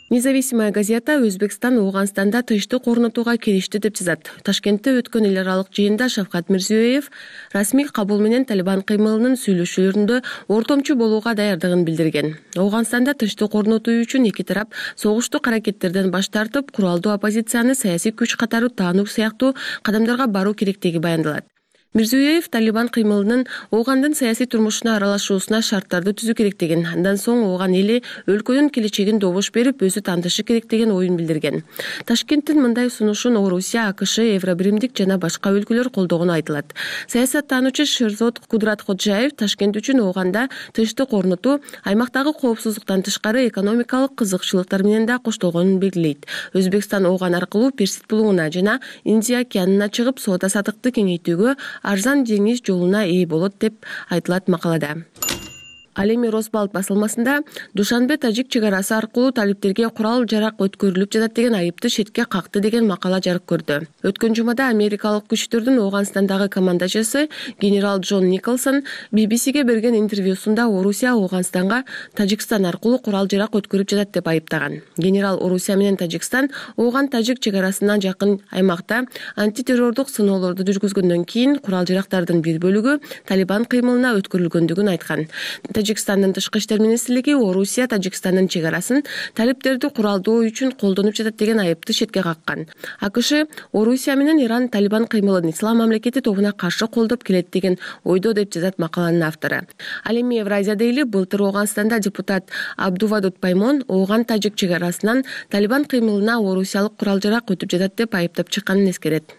Независимая газета Өзбекстан Ооганстанда тынчтык орнотууга киришти деп жазат. Ташкентте өткөн эл аралык жыйында Шавкат Мирзиёев расмий кабул менен Талибан кыймылынын сүйлөшүүлөрүндө ортомчу болууга даярдыгын билдирген. Ооганстанда тынчтык орнотуу үчүн эки тарап согуштук аракеттерден баш тартып, куралдуу оппозицияны саясий күч катары таануу сыяктуу кадамдарга баруу керектиги баяндалат. Мирзиёев Талибан кыймылынын Оогандын саясий турмушуна аралашуусуна шарттарды түзүү керектигин, андан соң Ооган эли өлкөнүн келечегин добуш берип, өзү тандышы керек деген оюн билдирген. Ташкенттин мындай сунушун Орусия, АКШ, Евробиримдик жана башка өлкөлөр колдогону айтылат. Саясаттануучу Шерзод Кудратходжаев Ташкент үчүн Ооганда тынчтык орнотуу аймактагы коопсуздуктан тышкары экономикалык кызыкчылыктар менен да коштолгонун белгилейт. Өзбекстан Ооган аркылуу Персид булугуна жана Индия океанына чыгып соода саттыкты кеңейтүүгө арзан деңиз жолуна ээ болот деп айтылат макалада. Ал эми Росбалт басылмасында Душанбе тажик чек арасы аркылуу талиптерге курал-жарак өткөрүлүп жатат деген айыпты четке какты деген макала жарык көрдү. Өткөн жумада америкалык күчтөрдүн Ооганстандагы командачысы генерал Джон Николсон би би сиге берген интервьюсунда Орусия Ооганстанга Тажикстан аркылуу курал-жарак өткөрүп жатат деп айыптаган. Генерал Орусия менен Тажикстан Ооган-тажик чек арасынан жакын аймакта антитеррордук сыноолорду жүргүзгөндөн кийин курал-жарактардын бир бөлүгү Талибан кыймылына өткөрүлгөндүгүн айткан. Тажикстандын тышкы иштер министрлиги Орусия Тажикстандын чек арасын талиптерди куралдоо үчүн колдонуп жатат деген айыпты четке каккан. АКШ Орусия менен Иран Талибан кыймылын ислам мамлекети тобуна каршы колдоп келет деген ойдо деп жазат макаланын автору. Ал эми Евразия дейли былтыр Ооганстанда депутат Абдувадут Паймон Ооган-тажик чек арасынан Талибан кыймылына орусиялык курал-жарак өтүп жатат деп айыптап чыкканын эскерет.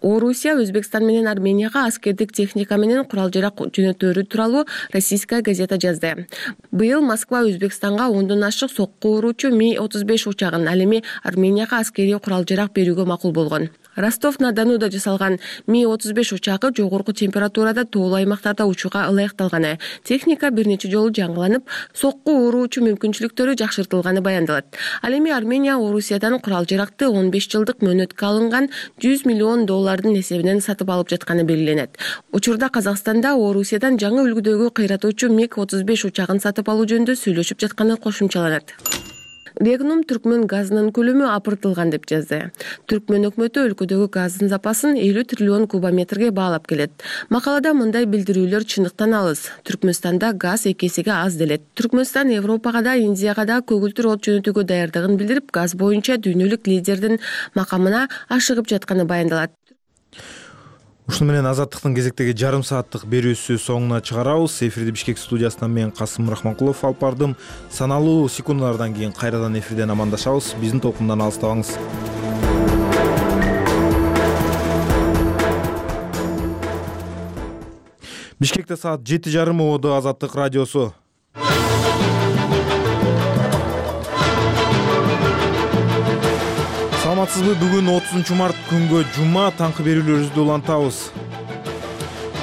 Орусия Өзбекстан менен Арменияга аскердик техника менен курал-жарак жөнөтөөрү тууралуу российская газета жазды. Быйыл Москва Өзбекстанга ондон ашык сокку уруучу Ми отуз беш учагын, ал эми Арменияга аскерий курал-жарак берүүгө макул болгон. Ростов-на-Донуда жасалган Ми отуз беш учагы жогорку температурада тоолуу аймактарда учууга ылайыкталганы, техника бир нече жолу жаңыланып, сокку уруучу мүмкүнчүлүктөрү жакшыртылганы баяндалат. Ал эми Армения Орусиядан курал-жаракты он беш жылдык мөөнөткө алынган жүз миллион доллардын эсебинен сатып алып жатканы белгиленет. Учурда Казакстанда Орусиядан жаңы үлгүдөгү кыйратуучу Ми отуз беш учагын сатып алуу жөнүндө сүйлөшүп жатканы кошумчаланат. Регнум Түркмөн газынын көлөмү апыртылган деп жазды. Түркмөн өкмөтү өлкөдөгү газдын запасын элүү триллион кубометрге баалап келет. Макалада мындай билдирүүлөр чындыктан алыс. Түркмөнстанда газ эки эсеге аз делет. Түркмөнстан Европага да, Индияга да көгүлтүр от жөнөтүүгө даярдыгын билдирип, газ боюнча дүйнөлүк лидердин макамына ашыгып жатканы баяндалат. ушуну менен азаттыктын кезектеги жарым сааттык берүүсү соңуна чыгарабыз. Эфирди Бишкек студиясынан мен Касым Рахманкулов алып бардым. Саналуу секундалардан кийин кайрадан эфирден амандашабыз. Биздин толкундан алыстабаңыз. Бишкекте саат жети жарым ободо Азаттык радиосу. Саламатсызбы? Бүгүн отузунчу март күнгө жума таңкы берүүлөрүбүздү улантабыз.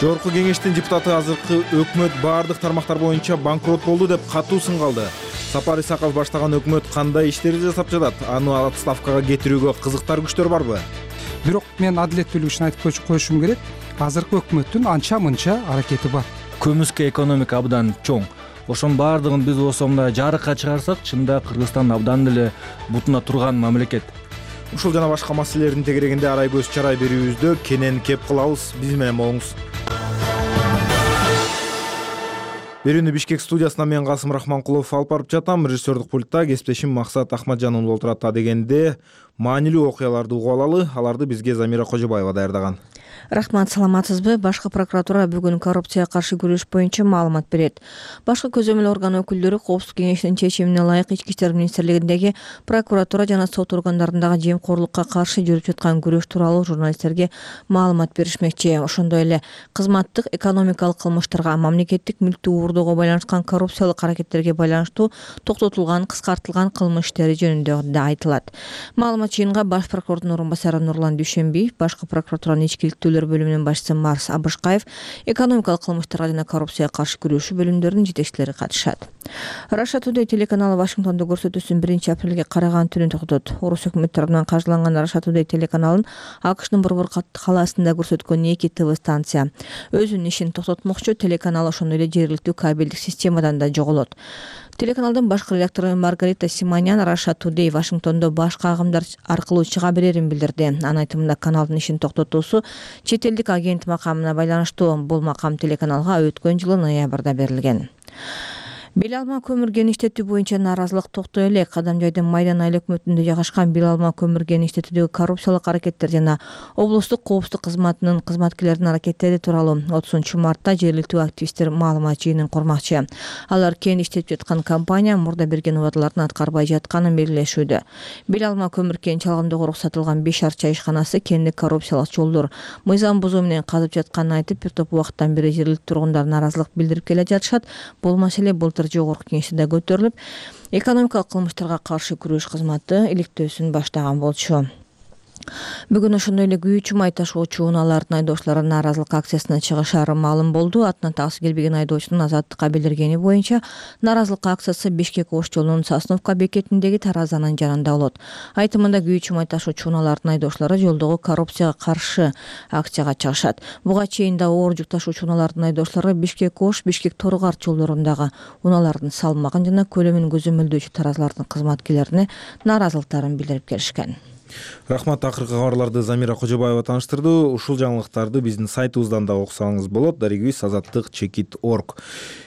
Жогорку кеңештин депутаты азыркы өкмөт баардык тармактар боюнча банкрот болду деп катуу сынга алды. Сапар Исаков баштаган өкмөт кандай иштерди жасап жатат? Аны отставкага кетирүүгө кызыктар күчтөр барбы? Бирок мен адилеттүүлүк үчүн айтып коюшум керек. Азыркы өкмөттүн анча мынча аракети бар. Көмүскө экономика абдан чоң. Ошонун баардыгын биз осомда жарыкка чыгарсак, чында Кыргызстан абдан эле бутуна турган мамлекет. Ушул жана башка маселелердин тегерегинде арай көз чарай берүүбүздө кенен кеп кылабыз. Биз менен болуңуз. Берүүнү Бишкек студиясынан мен Касым Рахманкулов алып барып жатам. Режиссердук пультта кесиптешим Максат Ахмаджанов отурат. Дегенде маанилүү окуяларды угуп алалы. Аларды бизге Замира Кожобаева даярдаган. Рахмат, саламатсызбы? Башкы прокуратура бүгүн коррупцияга каршы күрөш боюнча маалымат берет. Башкы көзөмөл орган өкүлдөрү Коопсуздук кеңешинин чечимине ылайык Ички иштер министрлигиндеги прокуратура жана сот органдарындагы жемкорлукка каршы жүрүп жаткан күрөш тууралуу журналисттерге маалымат беришмекчи. Ошондой эле кызматтык экономикалык кылмыштарга, мамлекеттик мүлктү уурдоого байланышкан коррупциялык аракеттерге байланыштуу токтотулган, кыскартылган кылмыш иштери жөнүндө да айтылат. Маалымат жыйынга Баш прокурордун орун басары Нурлан Дүйшөнбиев, башкы прокуратуранын ички бөлүмүнүн башчысы Марс Абышкаев, экономикалык кылмыштарга жана коррупцияга каршы күрөшүү бөлүмдөрүнүн жетекчилери катышат. Russia Today телеканалы Вашингтондо көрсөтүүсүн биринчи апрелге караган түнү токтотот. Орус өкмөтү тарабынан каржыланган Russia Today телеканалын АКШнын борбор калаасында көрсөткөн эки ТВ станция өзүнүн ишин токтотмокчу. Телеканал ошондой эле жергиликтүү кабелдик системадан да жоголот. Телеканалдын башкы редактору Маргарита Симонян Russia Today Вашингтондо башка агымдар аркылуу чыга берерин билдирди. Анын айтымында каналдын ишин токтотуусу чет элдик агент макамына байланыштуу. Бул макам телеканалга өткөн жылы ноябрда берилген. Бел алма көмүр кеништетүү боюнча нааразылык токтой элек. Кадамжайдын Майдан айыл өкмөтүндө жайгашкан бел алма көмүр кеништетүүдөгү коррупциялык аракеттер жана облустук коопсуздук кызматынын кызматкерлеринин аракеттери тууралуу отузунчу мартта жергиликтүү активисттер маалымат жыйынын курмакчы. Алар кеништетип жаткан компания мурда берген убадаларын аткарбай жатканын белгилешүүдө. Бел алма көмүр кен чалгындоого уруксатылган беш арча ишканасы кендик коррупциялык жолдор мыйзам бузуу менен казып жатканын айтып, бир топ убакыттан бери жергиликтүү тургундар нааразылык билдирип келе жатышат. Бул маселе былтыр жогорку кеңеште да көтөрүлүп, экономикалык кылмыштарга каршы күрөш кызматы иликтөөсүн баштаган болчу. Бүгүн ошондой эле күйүүчү май ташуучу унаалардын айдоочулары нааразылык акциясына чыгышары маалым болду. Атынан таксы келбеген айдоочунун Азаттыкка билдиргени боюнча нааразылык акциясы Бишкек Ош жолунун Сосновка бекетиндеги таразанын жанында болот. Айтымында күйүүчү май ташуучу унаалардын айдоочулары жолдогу коррупцияга каршы акцияга чыгышат. Буга чейин да оор жүк ташуучу унаалардын айдоочулары Бишкек Ош, Бишкек Торгарт жолдорундагы унаалардын салмагын жана көлөмүн көзөмөлдөөчү таразалардын кызматкерлерине нааразылыктарын билдирип келишкен. Рахмат, акыркы кабарларды Замира Кожобаева тааныштырды. Ушул жаңылыктарды биздин сайтыбыздан да окусаңыз болот. Дарегибиз азаттык чекит точка орг.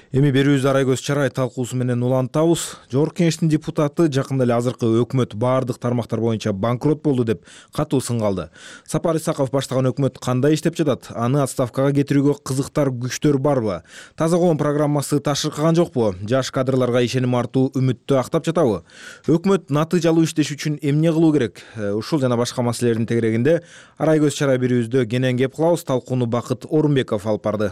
Эми берүүбүздү арай көз чарай талкуусу менен улантабыз. Жогорку кеңештин депутаты жакында эле азыркы өкмөт баардык тармактар боюнча банкрот болду деп катуу сынга алды. Сапар Исаков баштаган өкмөт кандай иштеп жатат? Аны отставкага кетирүүгө кызыктар күчтөр барбы? Таза коом программасы ташыркаган жокпу? Жаш кадрларга ишеним артуу үмүттү актап жатабы? Өкмөт натыйжалуу иштеш үчүн эмне кылуу керек? Ушул жана башка маселелердин тегерегинде арай көз чарай берүүбүздө кенен кеп кылабыз. Талкууну Бакыт Орунбеков алып барды.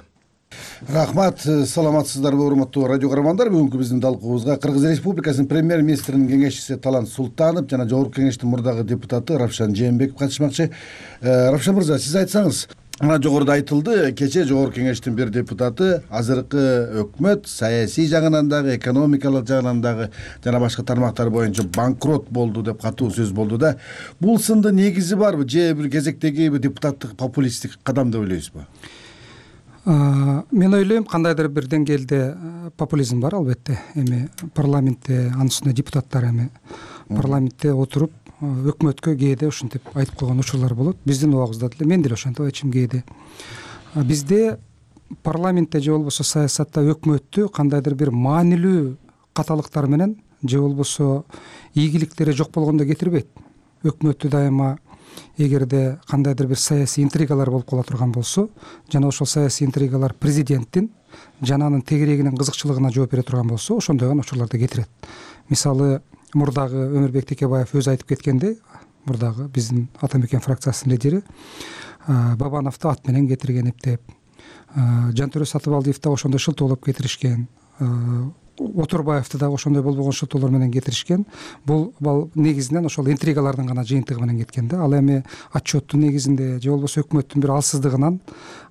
Рахмат, саламатсыздарбы урматтуу радио көрөрмандар. Бүгүнкү биздин талкуубузга Кыргыз Республикасынын премьер-министринин кеңешчиси Талант Султанов жана жогорку кеңештин мурдагы депутаты Равшан Жээнбеков катышмакчы. Равшан мырза, сиз айтсаңыз, мына жогоруда айтылды, кечээ жогорку кеңештин бир депутаты азыркы өкмөт саясий жагынан дагы, экономикалык жагынан дагы жана башка тармактар боюнча банкрот болду деп катуу сөз болду да. Бул сынды негизи барбы же бир кезектеги депутаттык популисттик кадам деп ойлойсузбу? Мен ойлойм, кандайдыр бир деңгээлде популизм бар албетте. Эми парламентте анын үстүнө депутаттар эми парламентте отуруп өкмөткө кээде ушинтип айтып койгон учурлар болот. Биздин убагыбызда деле мен деле ошентип айтчумун кээде. Бизде парламентте же болбосо саясатта өкмөттү кандайдыр бир маанилүү каталыктар менен же болбосо ийгиликтери жок болгондо кетирбейт. Өкмөттү дайыма эгерде кандайдыр бир саясий интригалар болуп кала турган болсо жана ошол саясий интригалар президенттин жана анын тегерегинин кызыкчылыгына жооп бере турган болсо ошондой учурларды кетирет. Мисалы мурдагы Өмүрбек Текебаев өзү айтып кеткендей, мурдагы биздин Ата Мекен фракциясынын лидери Бабановду ат менен кетирген эптеп, Жантөрө Сатыбалдиев да ошондой шылтоолоп кетиришкен, Отурбаевди дагы ошондой болбогон шылтоолор менен кетиришкен. Бул негизинен ошол интригалардын гана жыйынтыгы менен кеткен да. Ал эми отчеттун негизинде же болбосо өкмөттүн бир алсыздыгынан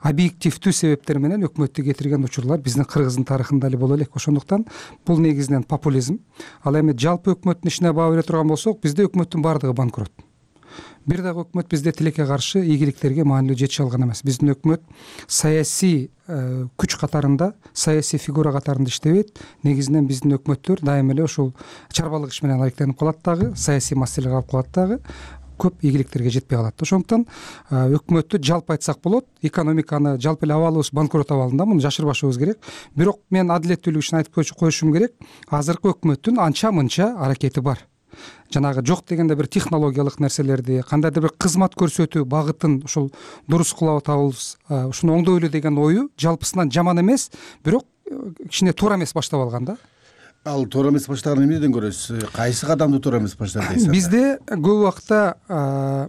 объективдүү себептер менен өкмөттү кетирген учурлар биздин Кыргыздын тарыхында эле боло элек. Ошондуктан бул негизинен популизм. Ал эми жалпы өкмөттүн ишине баа бере турган болсок, бизде өкмөттүн баардыгы банкрот. Бир дагы өкмөт бизде тилекке каршы ийгиликтерге маанилүү жетише алган эмес. Биздин өкмөт саясий күч катарында, саясий фигура катарында иштебейт. Негизинен биздин өкмөттөр дайыма эле ушул чарбалык иш менен алектенип калат дагы, саясий маселелер алып калат дагы, көп ийгиликтерге жетпей калат. Ошондуктан өкмөттү жалпы айтсак болот, экономиканы жалпы эле абалыбыз банкрот абалында, муну жашырбашыбыз керек. Бирок мен адилеттүүлүк үчүн айтып коюшум керек, азыркы өкмөттүн анча-мынча аракети бар. Жанагы жок дегенде бир технологиялык нерселерди, кандайдыр бир кызмат көрсөтүү багытын ушул дурус кыла табабыз, ушуну оңдойлу деген ою жалпысынан жаман эмес, бирок кичине туура эмес баштап алган да. Ал туура эмес баштаган эмнеден көрөсүз? Кайсы кадамды туура эмес баштады дейсиз? Бизде көп убакта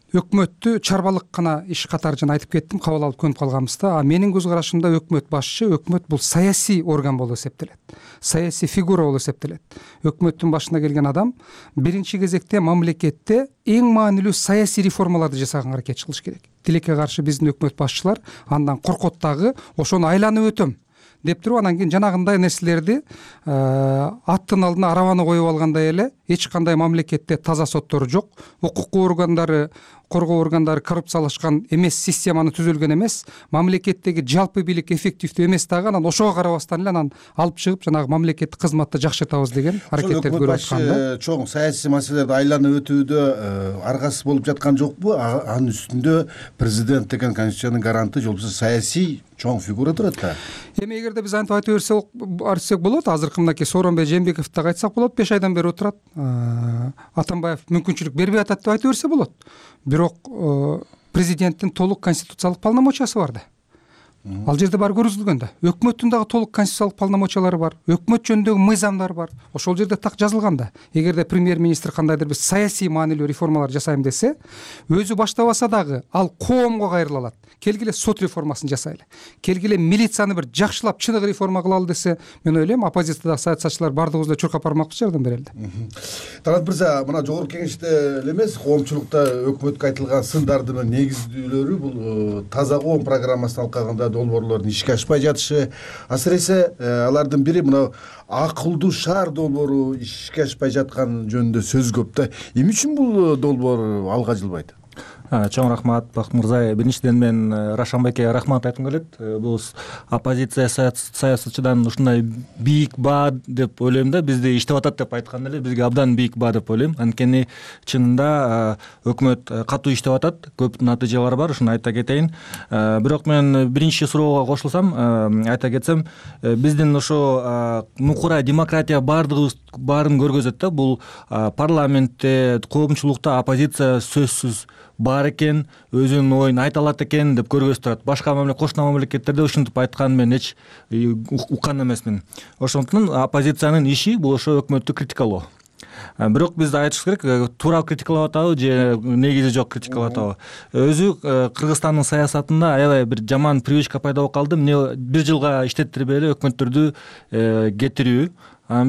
өкмөттү чарбалык гана иш катары жана айтып кеттим, кабыл алып көнүп калганбыз да. А менин көз карашымда өкмөт башчы, өкмөт бул саясий орган болуп эсептелет. Саясий фигура болуп эсептелет. Өкмөттүн башына келген адам биринчи кезекте мамлекетте эң маанилүү саясий реформаларды жасаганга аракет кылыш керек. Тилекке каршы биздин өкмөт башчылар андан коркот дагы, ошону айланып өтөм деп туруп, анан кийин жанагындай нерселерди аттын алдына арабаны коюп алгандай эле, эч кандай мамлекетте таза соттор жок, укук органдары, коргоо органдары коррупциялашкан эмес, системаны түзүлгөн эмес, мамлекеттеги жалпы бийлик эффективдүү эмес дагы, анан ошого карабастан эле анан алып чыгып жанагы мамлекеттик кызматты жакшыртабыз деген аракеттерди көрүп аткан да. Чоң саясий маселелерди айланып өтүүдө аргасыз болуп жаткан жокпу? Анын үстүндө президент деген конституциянын гаранты, же болбосо саясий чоң фигура турат да. Эми эгерде биз антип айта берсек, айтсак болот, азыркы мынакей Сооронбай Жээнбековду дагы айтсак болот, беш айдан бери отурат. Атамбаев мүмкүнчүлүк бербей атат деп айта берсе болот. Бирок президенттин толук конституциялык полномочиясы бар да. Ал жерде бар көрсөтүлгөн да. Өкмөттүн дагы толук конституциялык полномочиялары бар. Өкмөт жөнүндөгү мыйзамдар бар. Ошол жерде так жазылган да. Эгерде премьер-министр кандайдыр бир саясий маанилүү реформалар жасайм десе, өзү баштабаса дагы ал коомго кайрыла алат. Келгиле сот реформасын жасайлы. Келгиле милицияны бир жакшылап чыныгы реформа кылалы десе, мен ойлойм оппозициядагы саясатчылар баардыгыбыз эле чуркап бармакпыз жардан бери эле. Талант мырза, мына жогорку кеңеште эле эмес, коомчулукта өкмөткө айтылган сындардын негиздүүлөрү бул таза коом программасын алкаганда долбоорлордун ишке ашпай жатышы, асыресе алардын бири мына акылдуу шаар долбоору ишке ашпай жаткан жөнүндө сөз көп да. Эмне үчүн бул долбоор алга жылбайт? Чоң рахмат, Бакыт мырза. Биринчиден мен Рашанбекке рахмат айткым келет. Бул оппозиция саясатчыдан ушундай бийик баа деп ойлойм да, бизде иштеп атат деп айткан эле, бизге абдан бийик баа деп ойлойм. Анткени чынында өкмөт катуу иштеп атат, көп натыйжалар бар, ушуну айта кетейин. Бирок мен биринчи суроого кошулсам, айта кетсем, биздин ошо мукура демократия баардыгыбыз баарын көргөзөт да. Бул парламентте, коомчулукта оппозиция сөзсүз бар экен, өзүнүн оюн айта алат экен деп көргөзүп турат. Башка кошуна мамлекеттерде ушинтип айтканын мен эч уккан эмесмин. Ошондуктан оппозициянын иши бул ошо өкмөттү критикалоо. Бирок биз айтышыбыз керек, туура критикалап атабы же негизи жок критикалап атабы. Өзү Кыргызстандын саясатында аябай бир жаман привычка пайда болуп калды. Эмне бир жылга иштеттирбей эле өкмөттөрдү кетирүү.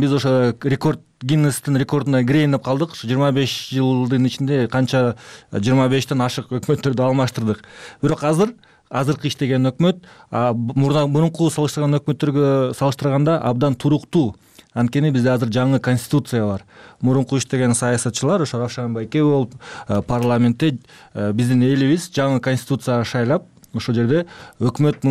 Биз ошо рекорд Гиннестин рекордуна кирейин деп калдык. жыйырма беш жылдын ичинде канча жыйырма бештен ашык өкмөттөрдү алмаштырдык. Бирок азыр азыркы иштеген өкмөт мурунку салыштырган өкмөттөргө салыштырганда абдан туруктуу. Анткени бизде азыр жаңы конституция бар. Мурунку иштеген саясатчылар, ошо Равшан байке болуп, парламентте биздин элибиз жаңы конституция шайлап, ошол жерде өкмөт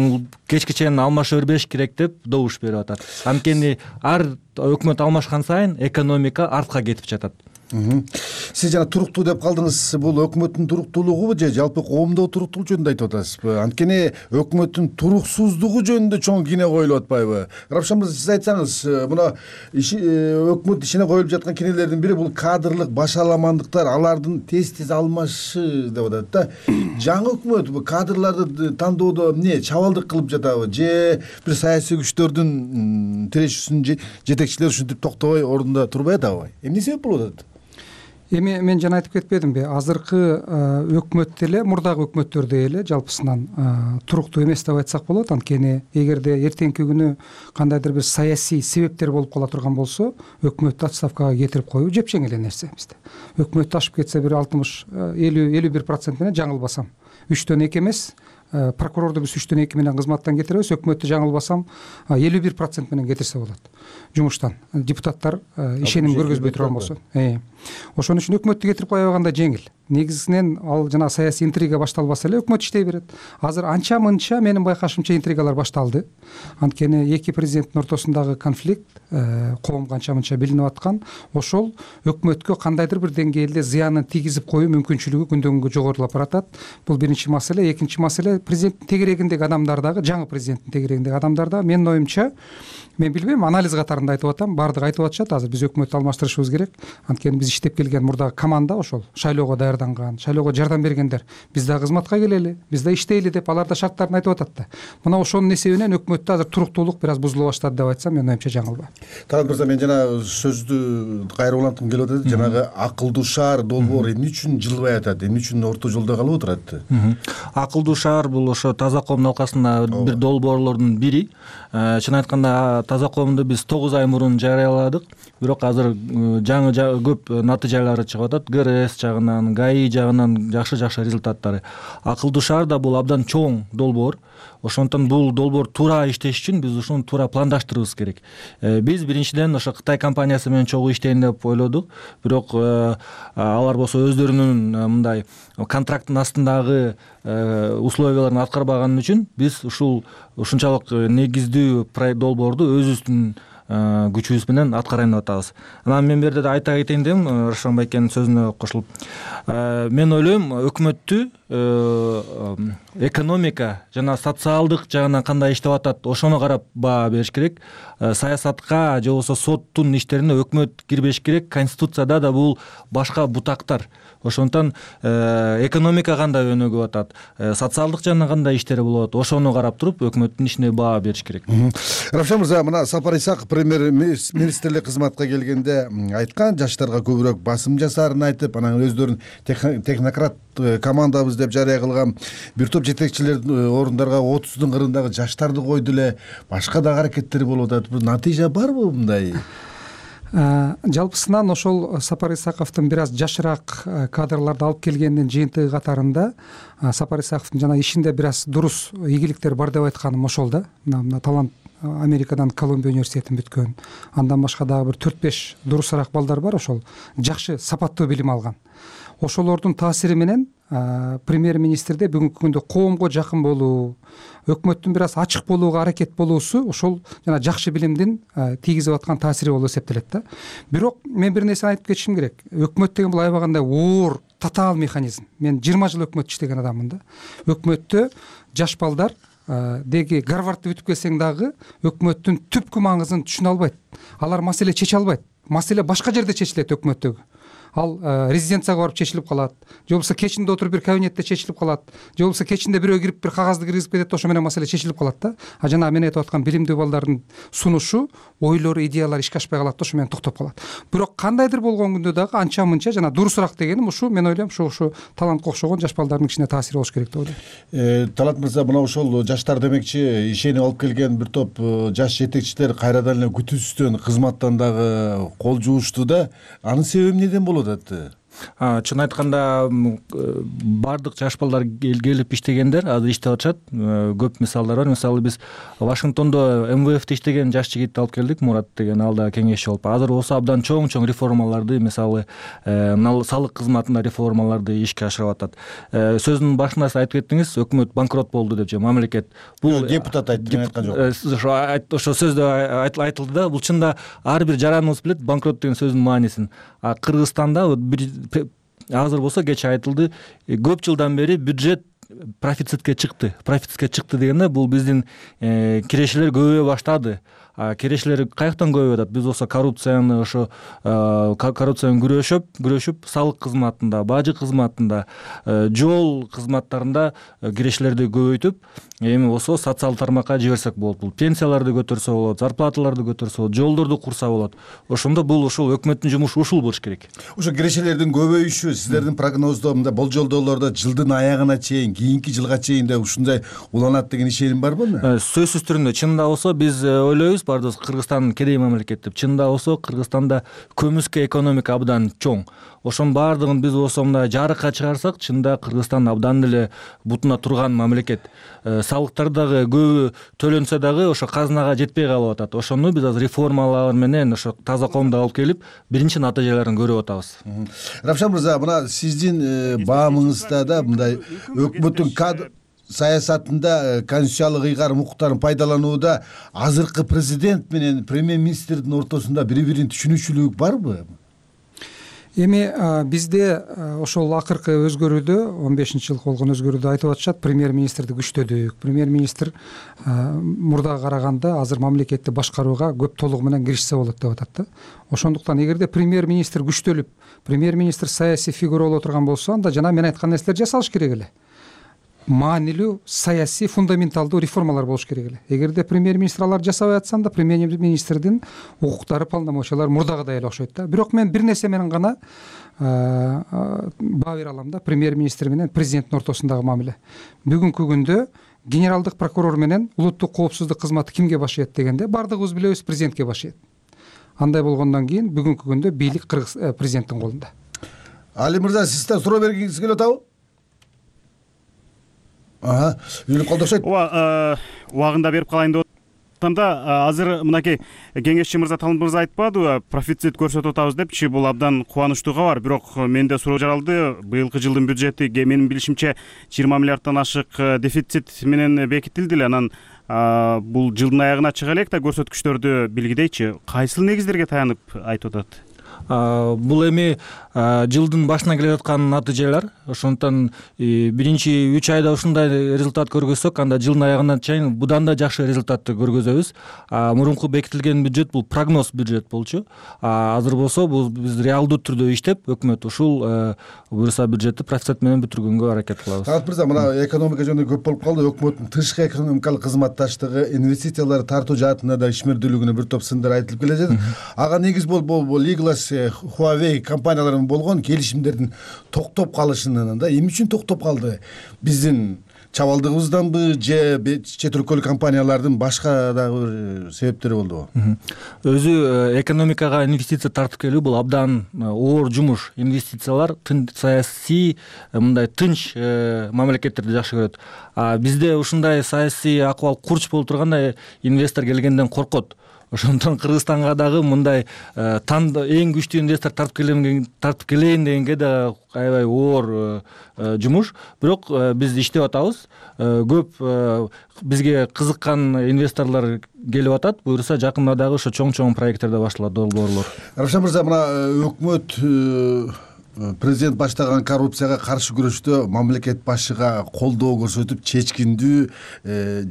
кечке чейин алмаша бербеш керек деп добуш берип атат. Анткени ар өкмөт алмашкан сайын экономика артка кетип жатат. Сиз жана туруктуу деп калдыңыз. Бул өкмөттүн туруктуулугубу же жалпы коомдогу туруктуулук жөнүндө айтып атасызбы? Анткени өкмөттүн туруксуздугу жөнүндө чоң кийне коюлуп атпайбы? Равшан мырза, сиз айтсаңыз, мына өкмөт ишине коюлуп жаткан кийнелердин бири бул кадрлык башаламандыктар, алардын тез тез алмашы деп атат да. Жаңы өкмөт бул кадрларды тандоодо эмне чабалдык кылып жатабы же бир саясий күчтөрдүн тирешүүсүн жетекчилери ушинтип токтобой ордунда турбай атабы? Эмне себеп болуп атат? Эми мен жана айтып кетпедимби, азыркы өкмөт деле мурдагы өкмөттөрдөй эле жалпысынан туруктуу эмес деп айтсак болот. Анткени эгерде эртеңки күнү кандайдыр бир саясий себептер болуп кала турган болсо, өкмөттү отставкага кетирип коюу жепчең эле нерсе бизде. Өкмөт ашып кетсе бир алтымыш элүү элүү бир процент менен жаңылбасам үчтөн эки эмес, прокурорду биз үчтөн эки менен кызматтан кетиребиз, өкмөттү жаңылбасам элүү бир процент менен кетирсе болот жумуштан. Депутаттар ишеним көргөзбөй турган болсо. Ошон үчүн өкмөттү кетирип кое койгондо жеңил. Негизинен ал жана саясий интрига башталбаса эле өкмөт иштей берет. Азыр анча мынча менин байкашымча интригалар башталды. Анткени эки президенттин ортосундагы конфликт коомго анча мынча билинип аткан. Ошол өкмөткө кандайдыр бир деңгээлде зыянын тийгизип коюу мүмкүнчүлүгү күндөн күнгө жогорулап баратат. Бул биринчи маселе. Экинчи маселе, президенттин тегерегиндеги адамдар дагы, жаңы президенттин тегерегиндеги адамдар да менин оюмча, мен билбейм, анализ катарында айтып атам, баардыгы айтып атышат, азыр биз өкмөттү алмаштырышыбыз керек. Анткени биз иштеп келген мурдагы команда ошол шайлоого даярданган, шайлоого жардам бергендер. Биз да кызматка келели, биз да иштейли деп алар да шарттарын айтып атат да. Мына ошонун эсебинен өкмөттө азыр туруктуулук бир аз бузула баштады деп айтсам, менин оюмча жаңылбайм. Талант мырза, мен жана сөздү кайра уланткым келип атат. Жанагы акылдуу шаар долбоор эмне үчүн жылбай атат? Эмне үчүн орто жолдо калып отурат? Акылдуу шаар бул ошо таза коом алкасында бир долбоорлордун бири. Чын айтканда таза коомду биз тогуз ай мурун жарыяладык, бирок азыр жаңы көп натыйжалары чыгып атат. ГРС жагынан, ГАИ жагынан жакшы-жакшы результаттары. Акылдуу шаар да бул абдан чоң долбоор. Ошондон бул долбоор туура иштеш үчүн биз ушуну туура пландаштырыбыз керек. Биз биринчиден ошо Кытай компаниясы менен чогуу иштейин деп ойлодук, бирок алар болсо өздөрүнүн мындай контракттын астындагы условияларын аткарбаган үчүн биз ушул ушунчалык негиздүү долбоорду өзүбүздүн күчүбүз менен аткарайын деп атабыз. Анан мен бул жерде айта кетейин дедим, Рашан байкенин сөзүнө кошулуп. Мен ойлойм, өкмөттү экономика жана социалдык жагынан кандай иштеп атат, ошону карап баа бериш керек. Саясатка же болбосо соттун иштерине өкмөт кирбеш керек. Конституцияда да бул башка бутактар. Ошондон экономика кандай өнүгүп атат, социалдык жагынан кандай иштери болот, ошону карап туруп өкмөттүн ишине баа бериш керек. Равшан мырза, мына Сапар Исаков премьер-министрлик кызматка келгенде айткан, жаштарга көбүрөөк басым жасаарын айтып, анан өздөрүн технократ командабыз деп жарыя кылган бир топ жетекчилер орундарга отуздун кырындагы жаштарды койду эле, башка да аракеттер болуп атат. Бул натыйжа барбы мындай? Жалпысынан ошол Сапар Исаковдун бир аз жашыраак кадрларды алып келгендин жыйынтыгы катарында Сапар Исаковдун жана ишинде бир аз дурус ийгиликтер бар деп айтканым ошол да. Мына Талант Америкадан Колумбия университетин бүткөн, андан башка дагы бир төрт беш дурусараак балдар бар, ошол жакшы сапаттуу билим алган. Ошолордун таасири менен премьер-министрде бүгүнкү күндө коомго жакын болуу, өкмөттүн бир аз ачык болууга аракет болуусу ошол жана жакшы билимдин тийгизип аткан таасири болуп эсептелет да. Бирок мен бир нерсени айтып кетишим керек. Өкмөт деген бул аябагандай оор, татаал механизм. Мен жыйырма жыл өкмөттө иштеген адаммын да. Өкмөттө жаш балдар деги Гарвардты бүтүп келсең дагы өкмөттүн түпкү маңызын түшүнө албайт. Алар маселе чече албайт. Маселе башка жерде чечилет өкмөттөгү. Ал резиденцияга барып чечилип калат, же болбосо кечинде отуруп бир кабинетте чечилип калат, же болбосо кечинде бирөө кирип бир кагазды киргизип кетет, ошо менен маселе чечилип калат да. А жана мен айтып аткан билимдүү балдардын сунушу, ойлору, идеялары ишке ашпай калат да, ошо менен токтоп калат. Бирок кандайдыр болгон күндө дагы анча мынча жана дурусураак дегеним ушу, мен ойлойм, ушу ушу талантка окшогон жаш балдардын ичине таасири болуш керек деп ойлойм. Талант мырза, мына ошол жаштар демекчи ишенип алып келген бир топ жаш жетекчилер кайрадан эле күтүүсүздөн кызматтан дагы кол жуушту да. Анын себеби эмнеден болуп атат? чын айтканда баардык жаш балдар келип иштегендер азыр иштеп атышат. Көп мисалдар бар. Мисалы биз Вашингтондо эм вэ эфте иштеген жаш жигитти алып келдик, Мурат деген, ал да кеңешчи болуп. Азыр болсо абдан чоң-чоң реформаларды, мисалы салык кызматында реформаларды ишке ашырып атат. Сөзүнүн башында сиз айтып кеттиңиз, өкмөт банкрот болду деп, же мамлекет. Бул депутат айтты, мен айткан жок. Ошо сөздө айтылды да, бул чында ар бир жараныбыз билет банкрот деген сөздүн маанисин. Кыргызстанда азыр болсо кечээ айтылды, көп жылдан бери бюджет профицитке чыкты. Профицитке чыкты дегенде бул биздин кирешелер көбөйө баштады. Кирешелер каяктан көбөйүп атат? Биз болсо коррупцияны ошо коррупцияны күрөшүп, күрөшүп салык кызматында, бажы кызматында, жол кызматтарында кирешелерди көбөйтүп, эми болсо социалдык тармакка жиберсек болот. Бул пенсияларды көтөрсө болот, зарплаталарды көтөрсө болот, жолдорду курса болот. Ошондо бул ушул өкмөттүн жумушу ушул болуш керек. Ошо кирешелердин көбөйүшү сиздердин прогноздо, болжолдоолордо жылдын аягына чейин, кийинки жылга чейин да ушундай уланат деген ишеним барбы? Сөзсүз түрүндө чынында болсо биз ойлойбуз, бардыгыбыз Кыргызстан кедей мамлекет деп. Чынында болсо Кыргызстанда көмүскө экономика абдан чоң. Ошонун баардыгын биз болсо мындай жарыкка чыгарсак, чынында Кыргызстан абдан эле бутуна турган мамлекет. Салыктар дагы көбү төлөнсө дагы ошо казынага жетпей калып атат. Ошону биз азыр реформалар менен ошо таза коомду алып келип, биринчи натыйжаларын көрүп атабыз. Равшан мырза, мына сиздин баамыңызда да мындай өкмөттүн кадр саясатында конституциялык ыйгарым укуктарын пайдаланууда азыркы президент менен премьер-министрдин ортосунда бири-бирин түшүнүчүлүк барбы? Эми бизде ошол акыркы өзгөрүүдө, он бешинчи жылкы болгон өзгөрүүдө айтып атышат, премьер-министрди күчтөдүк. Премьер-министр мурдага караганда азыр мамлекетти башкарууга көп толугу менен киришсе болот деп атат да. Ошондуктан эгерде премьер-министр күчтөлүп, премьер-министр саясий фигура боло турган болсо, анда жана мен айткан нерселер жасалыш керек эле. Маанилүү саясий фундаменталдуу реформалар болуш керек эле. Эгерде премьер-министр алар жасабай атса, анда премьер-министрдин укуктары, полномочиялары мурдагыдай эле окшойт да. Бирок мен бир нерсе менен гана баа бере алам да, премьер-министр менен президенттин ортосундагы мамиле. Бүгүнкү күндө генералдык прокурор менен улуттук коопсуздук кызматы кимге башыйт дегенде, бардыгыбыз билебиз, президентке башыйт. Андай болгондон кийин бүгүнкү күндө бийлик кыргыз президенттин колунда. Али мырза, сиз да суроо бергиңиз келип атабы? Ага, үйлүк колдошот. Ооба, убагында берип калайын деп атам да, азыр мынакей кеңешчи мырза, Талмат мырза айтпадыбы, профицит көрсөтүп атабыз депчи, бул абдан кубанычтуу кабар. Бирок менде суроо жаралды, быйылкы жылдын бюджети менин билишимче жыйырма миллиарддан ашык дефицит менен бекитилди эле. Анан бул жылдын аягына чыга элек да көрсөткүчтөрдү билгидейчи, кайсыл негиздерге таянып айтып атат? Бул эми жылдын башына келе жаткан натыйжалар. Ошондуктан биринчи үч айда ушундай результат көргөзсөк, анда жылдын аягына чейин будан да жакшы результатты көргөзөбүз. Мурунку бекитилген бюджет бул прогноз бюджет болчу. Азыр болсо бул биз реалдуу түрдө иштеп, өкмөт ушул буюрса бюджетти профицит менен бүтүргөнгө аракет кылабыз. Талат мырза, мына экономика жөнүндө көп болуп калды. Өкмөттүн тышкы экономикалык кызматташтыгы, инвестициялар тартуу жаатында да ишмердүүлүгүнө бир топ сындар айтылып келе жатат. Ага негиз болуп Лиглас, Huawei компаниялары болгон келишимдердин токтоп калышынан да эмне үчүн токтоп калды? Биздин чабалдыгыбызданбы же чет өлкөлүк компаниялардын башка дагы себептери болдубу? Өзү экономикага инвестиция тартып келүү бул абдан оор жумуш. Инвестициялар саясий мындай тынч мамлекеттерди жакшы көрөт. Бизде ушундай саясий акыбал курч болуп турганда инвестор келгенден коркот. Ошондон Кыргызстанга дагы мындай эң күчтүү инвестор тартып келем тартып келейин дегенге да аябай оор жумуш. Бирок биз иштеп атабыз. Көп бизге кызыккан инвесторлор келип атат. Буюрса жакында дагы ошо чоң-чоң проекттер да башталат, долбоорлор. Равшан мырза, мына өкмөт президент баштаган коррупцияга каршы күрөштө мамлекет башчыга колдоо көрсөтүп, чечкиндүү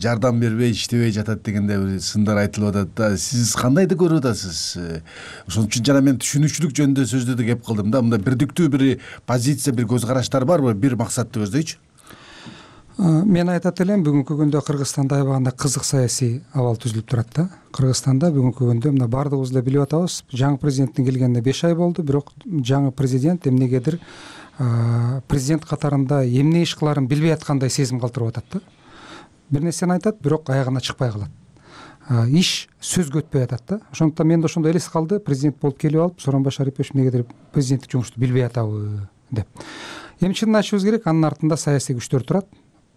жардам бербей иштебей жатат дегенде бир сындар айтылып атат да. Сиз кандайды көрүп атасыз? Ошон үчүн жана мен түшүнүкчүлүк жөнүндө сөздөрдү кеп кылдым да. Мында бирдиктүү бир позиция, бир көз караштар барбы? Бир максатты көздөйчү? Мен айтат элем, бүгүнкү күндө Кыргызстанда аябаганда кызык саясий абал түзүлүп турат да. Кыргызстанда бүгүнкү күндө мына бардыгыбыз да билип атабыз, жаңы президенттин келгенине беш ай болду, бирок жаңы президент эмнегедир президент катарында эмне иш кыларын билбей аткандай сезим калтырып атат да. Бир нерсени айтат, бирок аягына чыкпай калат. иш сөзгө өтпөй атат да. Ошондуктан менде ошондой элес калды, президент болуп келип алып Сооронбай Шарипович эмнегедир президенттик жумушту билбей атабы деп. Эми чынын айтышыбыз керек, анын артында саясий күчтөр турат.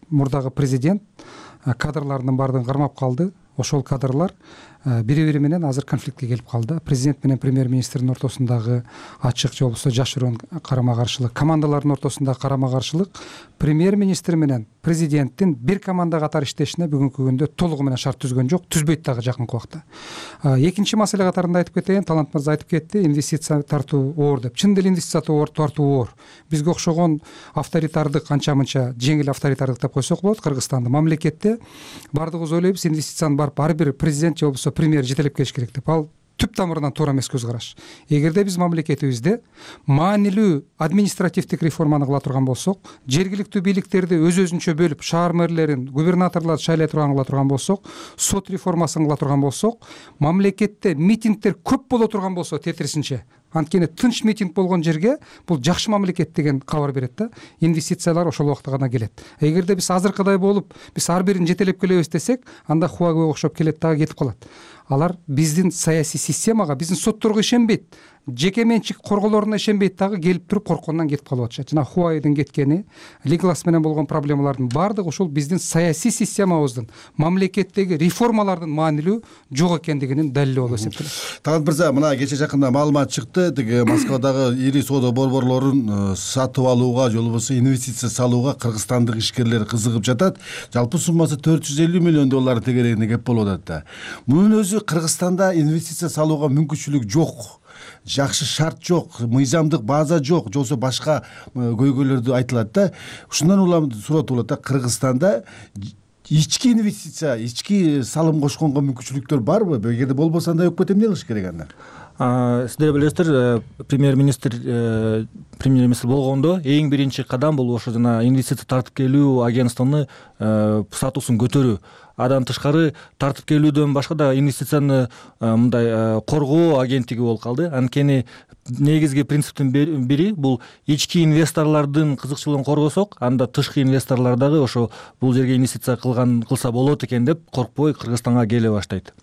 Мурдагы президент кадрларынын баардыгын кармап калды. Ошол кадрлар бири бири менен азыр конфликтке келип калды. Президент менен премьер-министрдин ортосундагы ачык же болбосо жашыруун карама каршылык, командалардын ортосундагы карама каршылык премьер-министр менен президенттин бир команда катары иштешине бүгүнкү күндө толугу менен шарт түзгөн жок, түзбөйт дагы жакынкы убакта. Экинчи маселе катарында айтып кетейин, Талант мырза айтып кетти, инвестиция тартуу оор деп. Чын деле инвестиция тартуу оор. Бизге окшогон авторитардык, анча-мынча жеңил авторитардык деп койсок болот, Кыргызстанда мамлекетте баардыгыбыз ойлойбуз, инвестицияны барып ар бир президент же болбосо премьер жетелеп келиш керек деп. Ал түп тамырынан туура эмес көз караш. Эгерде биз мамлекетибизде маанилүү административдик реформаны кыла турган болсок, жергиликтүү бийликтерди өз өзүнчө бөлүп, шаар мэрлерин, губернаторлорду шайлай турган кыла турган болсок, сот реформасын кыла турган болсок, мамлекетте митингдер көп боло турган болсо, тетирисинче, анткени тынч митинг болгон жерге бул жакшы мамлекет деген кабар берет да. Инвестициялар ошол убакта гана келет. Эгерде биз азыркыдай болуп, биз ар бирин жетелеп келебиз десек, анда Хуавей окшоп келет дагы кетип калат. Алар биздин саясий системага, биздин сотторго ишенбейт, жеке менчик корголоруна ишенбейт дагы, келип туруп корккондон кетип калып атышат. Жана Хуавейдин кеткени, Лиглас менен болгон проблемалардын баардыгы ушул биздин саясий системабыздын, мамлекеттеги реформалардын маанилүү жок экендигинин далили болуп эсептелет. Талант мырза, мына кече жакында маалымат чыкты, тиги Москвадагы ири соода борборлорун сатып алууга же болбосо инвестиция салууга кыргызстандык ишкерлер кызыгып жатат. Жалпы суммасы төрт жүз элүү миллион доллар тегерегинде кеп болуп атат да. Мунун өзү Кыргызстанда инвестиция салууга мүмкүнчүлүк жок. Жакшы шарт жок, мыйзамдык база жок, же болбосо башка көйгөйлөрдү айтылат да. Ушундан улам суроо болот да, Кыргызстанда ички инвестиция, ички салым кошконго мүмкүнчүлүктөр барбы? Эгерде болбосо анда өкмөт эмне кылыш керек анда? Сиздер билесиздер, премьер-министр премьер-министр болгондо эң биринчи кадам бул ошо жана инвестиция тартып келүү агентствону статусун көтөрүү. Адан тышкары тартып келүүдөн башка да инвестицияны мындай коргоо агенттиги болуп калды. Анткени негизги принциптин бири бул ички инвесторлордун кызыкчылыгын коргосок, анда тышкы инвесторлор дагы ошо бул жерге инвестиция кылган кылса болот экен деп коркпой Кыргызстанга келе баштайт.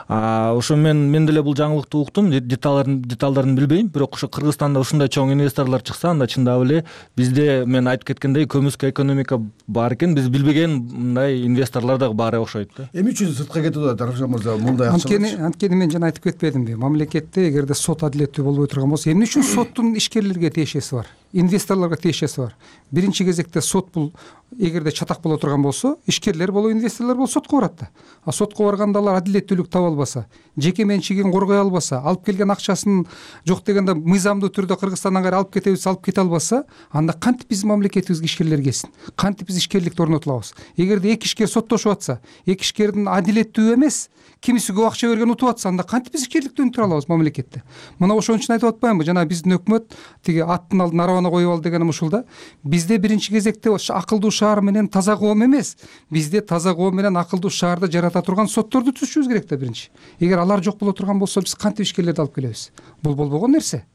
Ошо мен мен деле бул жаңылыкты уктум, деталдарын деталдарын билбейм, бирок ошо Кыргызстанда ушундай чоң инвесторлор чыкса, анда чындап эле бизде мен айтып кеткендей көмүскө экономика бар экен, биз билбеген мындай инвесторлор дагы бар окшойт да. Эмне үчүн сыртка кетип атат Аршан мырза, мындай акча? Анткени анткени мен жана айтып кетпедимби, мамлекетте эгерде сот адилеттүү болбой турган болсо, эмне үчүн соттун ишкерлерге тиешеси бар, инвесторлорго тиешеси бар? Биринчи кезекте сот бул эгерде чатак боло турган болсо, ишкерлер болобу, инвесторлор болобу сотко барат да. А сотко барганда алар адилеттүүлүк таба албаса, жеке менчигин коргой албаса, алып келген акчасын жок дегенде мыйзамдуу түрдө Кыргызстандан кайра алып кетебиз, алып кете албаса, анда кантип биздин мамлекетибизге ишкерлер келсин? Кантип биз ишкерликти орнотуп алабыз? Эгерде эки ишкер соттошуп атса, эки ишкердин адилеттүү эмес, кимиси көп акча берген утуп атса, анда кантип биз ишкерликти өнүктүрө алабыз мамлекетте? Мына ошон үчүн айтып атпаймынбы, жана биздин өкмөт тиги аттын алдын арабана коюп ал дегеним ушул да. Бизде биринчи кезекте акылдуу шаар менен таза коом эмес, бизде таза коом менен акылдуу шаарды жарата турган сотторду түзүшүбүз керек да биринчи. Эгер алар жок боло турган болсо, биз кантип ишкерлерди алып келебиз? Бул болбогон нерсе.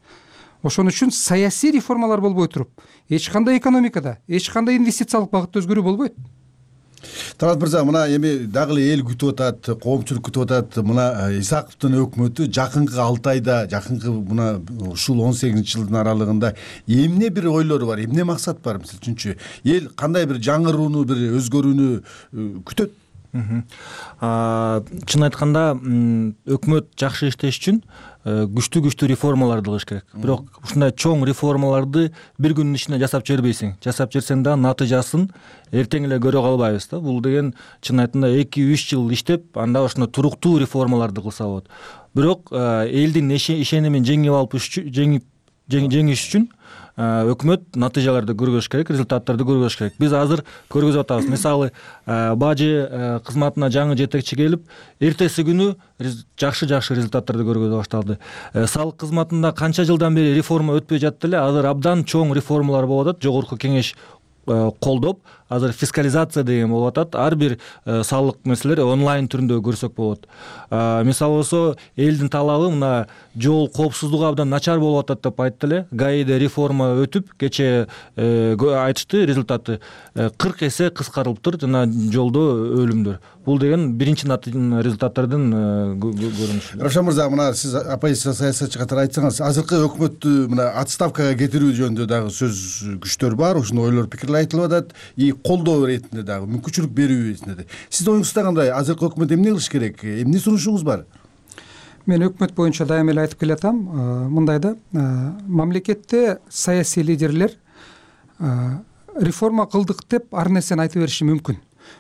Ошон үчүн саясий реформалар болбой туруп, эч кандай экономикада, эч кандай инвестициялык багытта өзгөрүү болбойт. Талант мырза, мына эми дагы эле эл күтүп атат, коомчулук күтүп атат. Мына Исаковдун өкмөтү жакынкы алты айда, жакынкы мына ушул он сегизинчи жылдын аралыгында эмне бир ойлору бар, эмне максат бар? Мисалы үчүнчү, эл кандай бир жаңырууну, бир өзгөрүүнү күтөт? Чын айтканда, өкмөт жакшы иштеш үчүн күчтүү күчтүү реформаларды кылыш керек. Бирок ушундай чоң реформаларды бир күндүн ичинде жасап жибербейсиң. Жасап жиберсең да натыйжасын эртең эле көрө калбайбыз да. Бул деген чын айтканда эки үч жыл иштеп, анда ошондой туруктуу реформаларды кылса болот. Бирок элдин ишенимин жеңип алып жеңип жеңиш үчүн өкмөт натыйжаларды көргөзүш керек, результаттарды көргөзүш керек. Биз азыр көргөзүп атабыз. Мисалы, бажы кызматына жаңы жетекчи келип, эртеси күнү жакшы-жакшы результаттарды көргөзө башталды. Салык кызматында канча жылдан бери реформа өтпөй жатты эле, азыр абдан чоң реформалар болуп атат. Жогорку кеңеш колдоп, азыр фискализация деген болуп атат. Ар бир салык маселелер онлайн түрүндө көрсөк болот. Мисалы болсо элдин талабы мына жол коопсуздугу абдан начар болуп атат деп айтты эле. гаиде реформа өтүп кечээ айтышты результаты кырк эсе кыскарылыптыр жана жолдо өлүмдөр. Бул деген биринчи результаттардын көрүнүшү. Равшан мырза, мына сиз оппозиция саясатчы катары айтсаңыз, азыркы өкмөттү мына отставкага кетирүү жөнүндө дагы сөз күчтөр бар, ушундай ойлор, пикирлер айтылып атат, и колдоо иретинде дагы мүмкүнчүлүк берүү иретинде. Сиздин оюңузда кандай? Азыркы өкмөт эмне кылыш керек? Эмне сунушуңуз бар? Мен өкмөт боюнча дайыма эле айтып келатам, мындай да, мамлекетте саясий лидерлер реформа кылдык деп ар нерсени айта бериши мүмкүн.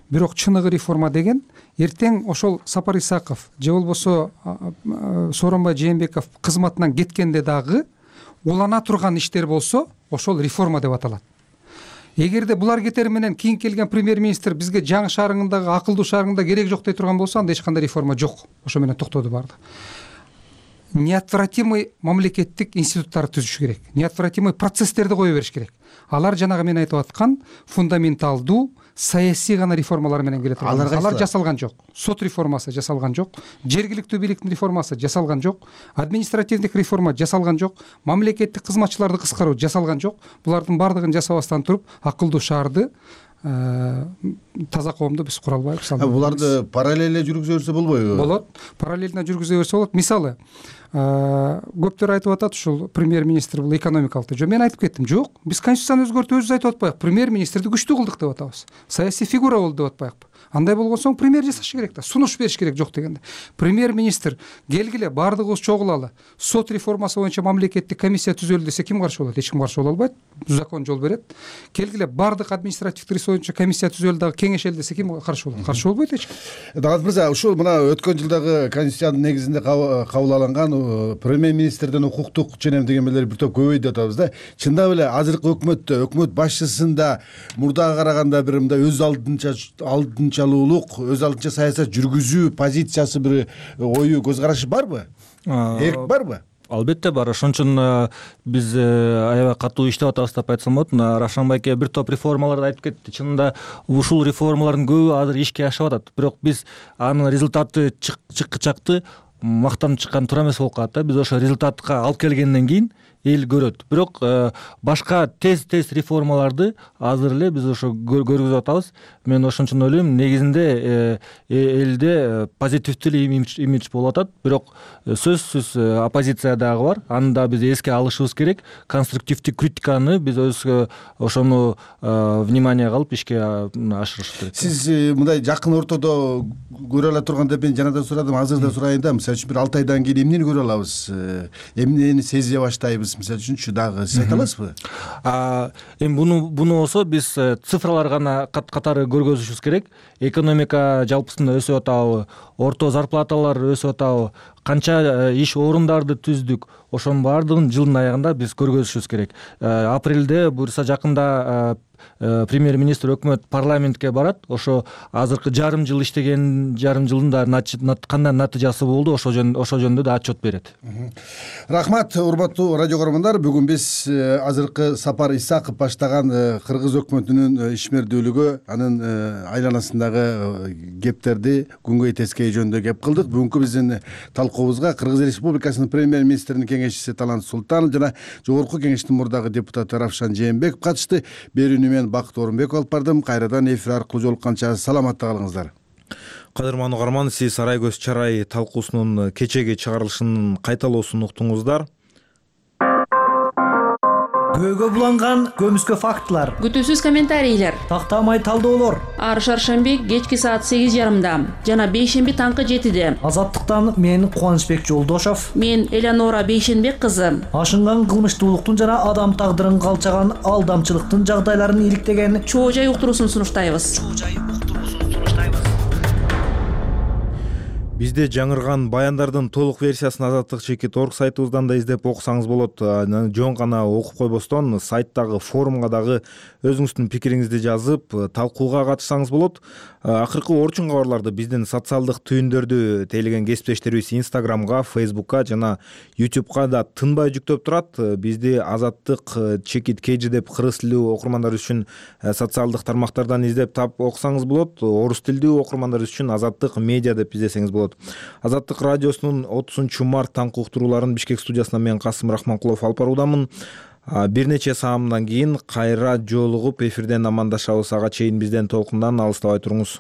Бирок чыныгы реформа деген эртең ошол Сапар Исаков же болбосо Сооронбай Жээнбеков кызматынан кеткенде дагы улана турган иштер болсо, ошол реформа деп аталат. Эгерде булар кетери менен кийин келген премьер-министр бизге жаңы шаарыңдагы акылдуу шаарыңда керек жок дей турган болсо, анда эч кандай реформа жок. Ошо менен токтоду барды. Неотвратимый мамлекеттик институттарды түзүш керек. Неотвратимый процесстерди кое бериш керек. Алар жанагы мен айтып аткан фундаменталдуу саясий гана реформалар менен келет. Алар жасалган жок. Сот реформасы жасалган жок, жергиликтүү бийликтин реформасы жасалган жок, административдик реформа жасалган жок, мамлекеттик кызматчыларды кыскаруу жасалган жок. Булардын бардыгын жасабастан туруп акылдуу шаарды, таза коомду биз кура албайбыз. Буларды параллель жүргүзө берсе болбойбу? Болот. Параллельно жүргүзө берсе болот. Мисалы, көптөр айтып атат, ушул премьер-министр бул экономикалык. Жо мен айтып кеттим, жок, биз конституцияны өзгөртүп өзүбүз айтып атпайбы? Премьер-министрди күчтүү кылдык деп атабыз. Саясий фигура болду деп атпайбы? Андай болгон соң премьер жасаш керек да, сунуш бериш керек, жок дегенде. Премьер-министр келгиле, бардыгыбыз чогулалы. Сот реформасы боюнча мамлекеттик комиссия түзөлдү десе ким каршы болот? Эч ким каршы боло албайт. Закон жол берет. Келгиле, бардык административдик ресурс боюнча комиссия түзөлдү дагы кеңешели десе ким каршы болот? Каршы болбойт эч ким. Дагат мырза, ушул мына өткөн жылдагы конституциянын негизинде кабыл алынган премьер-министрден укуктук ченем дегенмелер бир топ көбөйдү деп атабыз да. Чындап эле азыркы өкмөттө, өкмөт башчысында мурдага караганда бир мындай өз алдынча алдынчалуулук, өз алдынча саясат жүргүзүү позициясы, бир ою, көз карашы барбы? Эрк барбы? Албетте бар. Ошон үчүн биз аябай катуу иштеп атабыз деп айтсам болот. Равшан байке бир топ реформаларды айтып кетти. Чынында ушул реформалардын көбү азыр ишке ашып атат. Бирок биз анын результаты чыккычакты мактанып чыккан туура эмес болуп калат да. Биз ошо результатка алып келгенден кийин эл көрөт. Бирок башка тез-тез реформаларды азыр эле биз ошо көргүзүп атабыз. Мен ошон үчүн ойлойм, негизинде элде позитивдүү имидж болуп атат. Бирок сөзсүз оппозиция дагы бар. Аны да биз эске алышыбыз керек. Конструктивдүү критиканы биз өзгө ошону вниманияга алып ишке ашырыш керек. Сиз мындай жакын ортодо көрө ала турган деп мен жанадан сурадым, азыр да сурайын да. Мисалы үчүн бир алты айдан кийин эмнени көрө алабыз? Эмнени сезе баштайбыз? Мисалы үчүнчү дагы сиз айта аласызбы? Эми буну буну болсо биз цифралар гана катары көргөзүшүбүз керек. Экономика жалпысында өсүп атабы, орто зарплаталар өсүп атабы, канча иш орундарды түздүк, ошонун баардыгын жылдын аягында биз көргөзүшүбүз керек. Апрелде буюрса жакында премьер-министр өкмөт парламентке барат. Ошо азыркы жарым жыл иштеген жарым жылдын да кандай натыйжасы болду, ошо жөнүндө да отчет берет. Рахмат, урматтуу радио көрөрмандар. Бүгүн биз азыркы Сапар Исаков баштаган кыргыз өкмөтүнүн ишмердүүлүгү, анын айланасындагы кептерди күнгөй тескей жөнүндө кеп кылдык. Бүгүнкү биздин талкуубузга Кыргыз Республикасынын премьер-министринин кеңешчиси Талант Султанов жана Жогорку кеңештин мурдагы депутаты Равшан Жээнбеков катышты. Берүүнү мен Бакыт Орунбеков алып бардым. Кайрадан эфир аркылуу жолукканча саламатта калыңыздар. Кадырман угарман, сиз Сарай көз чарай талкуусунун кечеги чыгарылышынын кайталоосун уктуңуздар. Көөгө буланган көмүскө фактылар, күтүүсүз комментарийлер, тактамай талдоолор. Ар шаршемби кечки саат сегиз жарымда жана бейшемби таңкы жетиде. Азаттыктан мен Кубанычбек Жолдошов, мен Элеонора Бейшенбек кызы. Ашынган кылмыштуулуктун жана адам тагдырын калчаган алдамчылыктын жагдайларын иликтеген чоо жай уктуруусун сунуштайбыз. Бизде жаңырган баяндардын толук версиясын азаттык чекит орг сайтыбыздан да издеп окусаңыз болот. Жөн гана окуп койбостон сайттагы форумга дагы өзүңүздүн пикириңизди жазып талкууга катышсаңыз болот. Акыркы орчун кабарларды биздин социалдык түйүндөрдү тейлеген кесиптештерибиз Instagramга, Facebookка жана YouTubeга да тынбай жүктөп турат. Бизди Азаттык Чекит Кежи деп кыргыз тилдүү окурмандар үчүн социалдык тармактардан издеп таап окусаңыз болот. Орус тилдүү окурмандар үчүн Азаттык медиа деп издесеңиз болот. Азаттык радиосунун отузунчу март таңкы уктурууларын Бишкек студиясынан мен Касым Рахманкулов алып баруудамын. Бир нече саамдан кийин кайра жолугуп эфирден амандашабыз. Ага чейин бизден толкундан алыстабай туруңуз.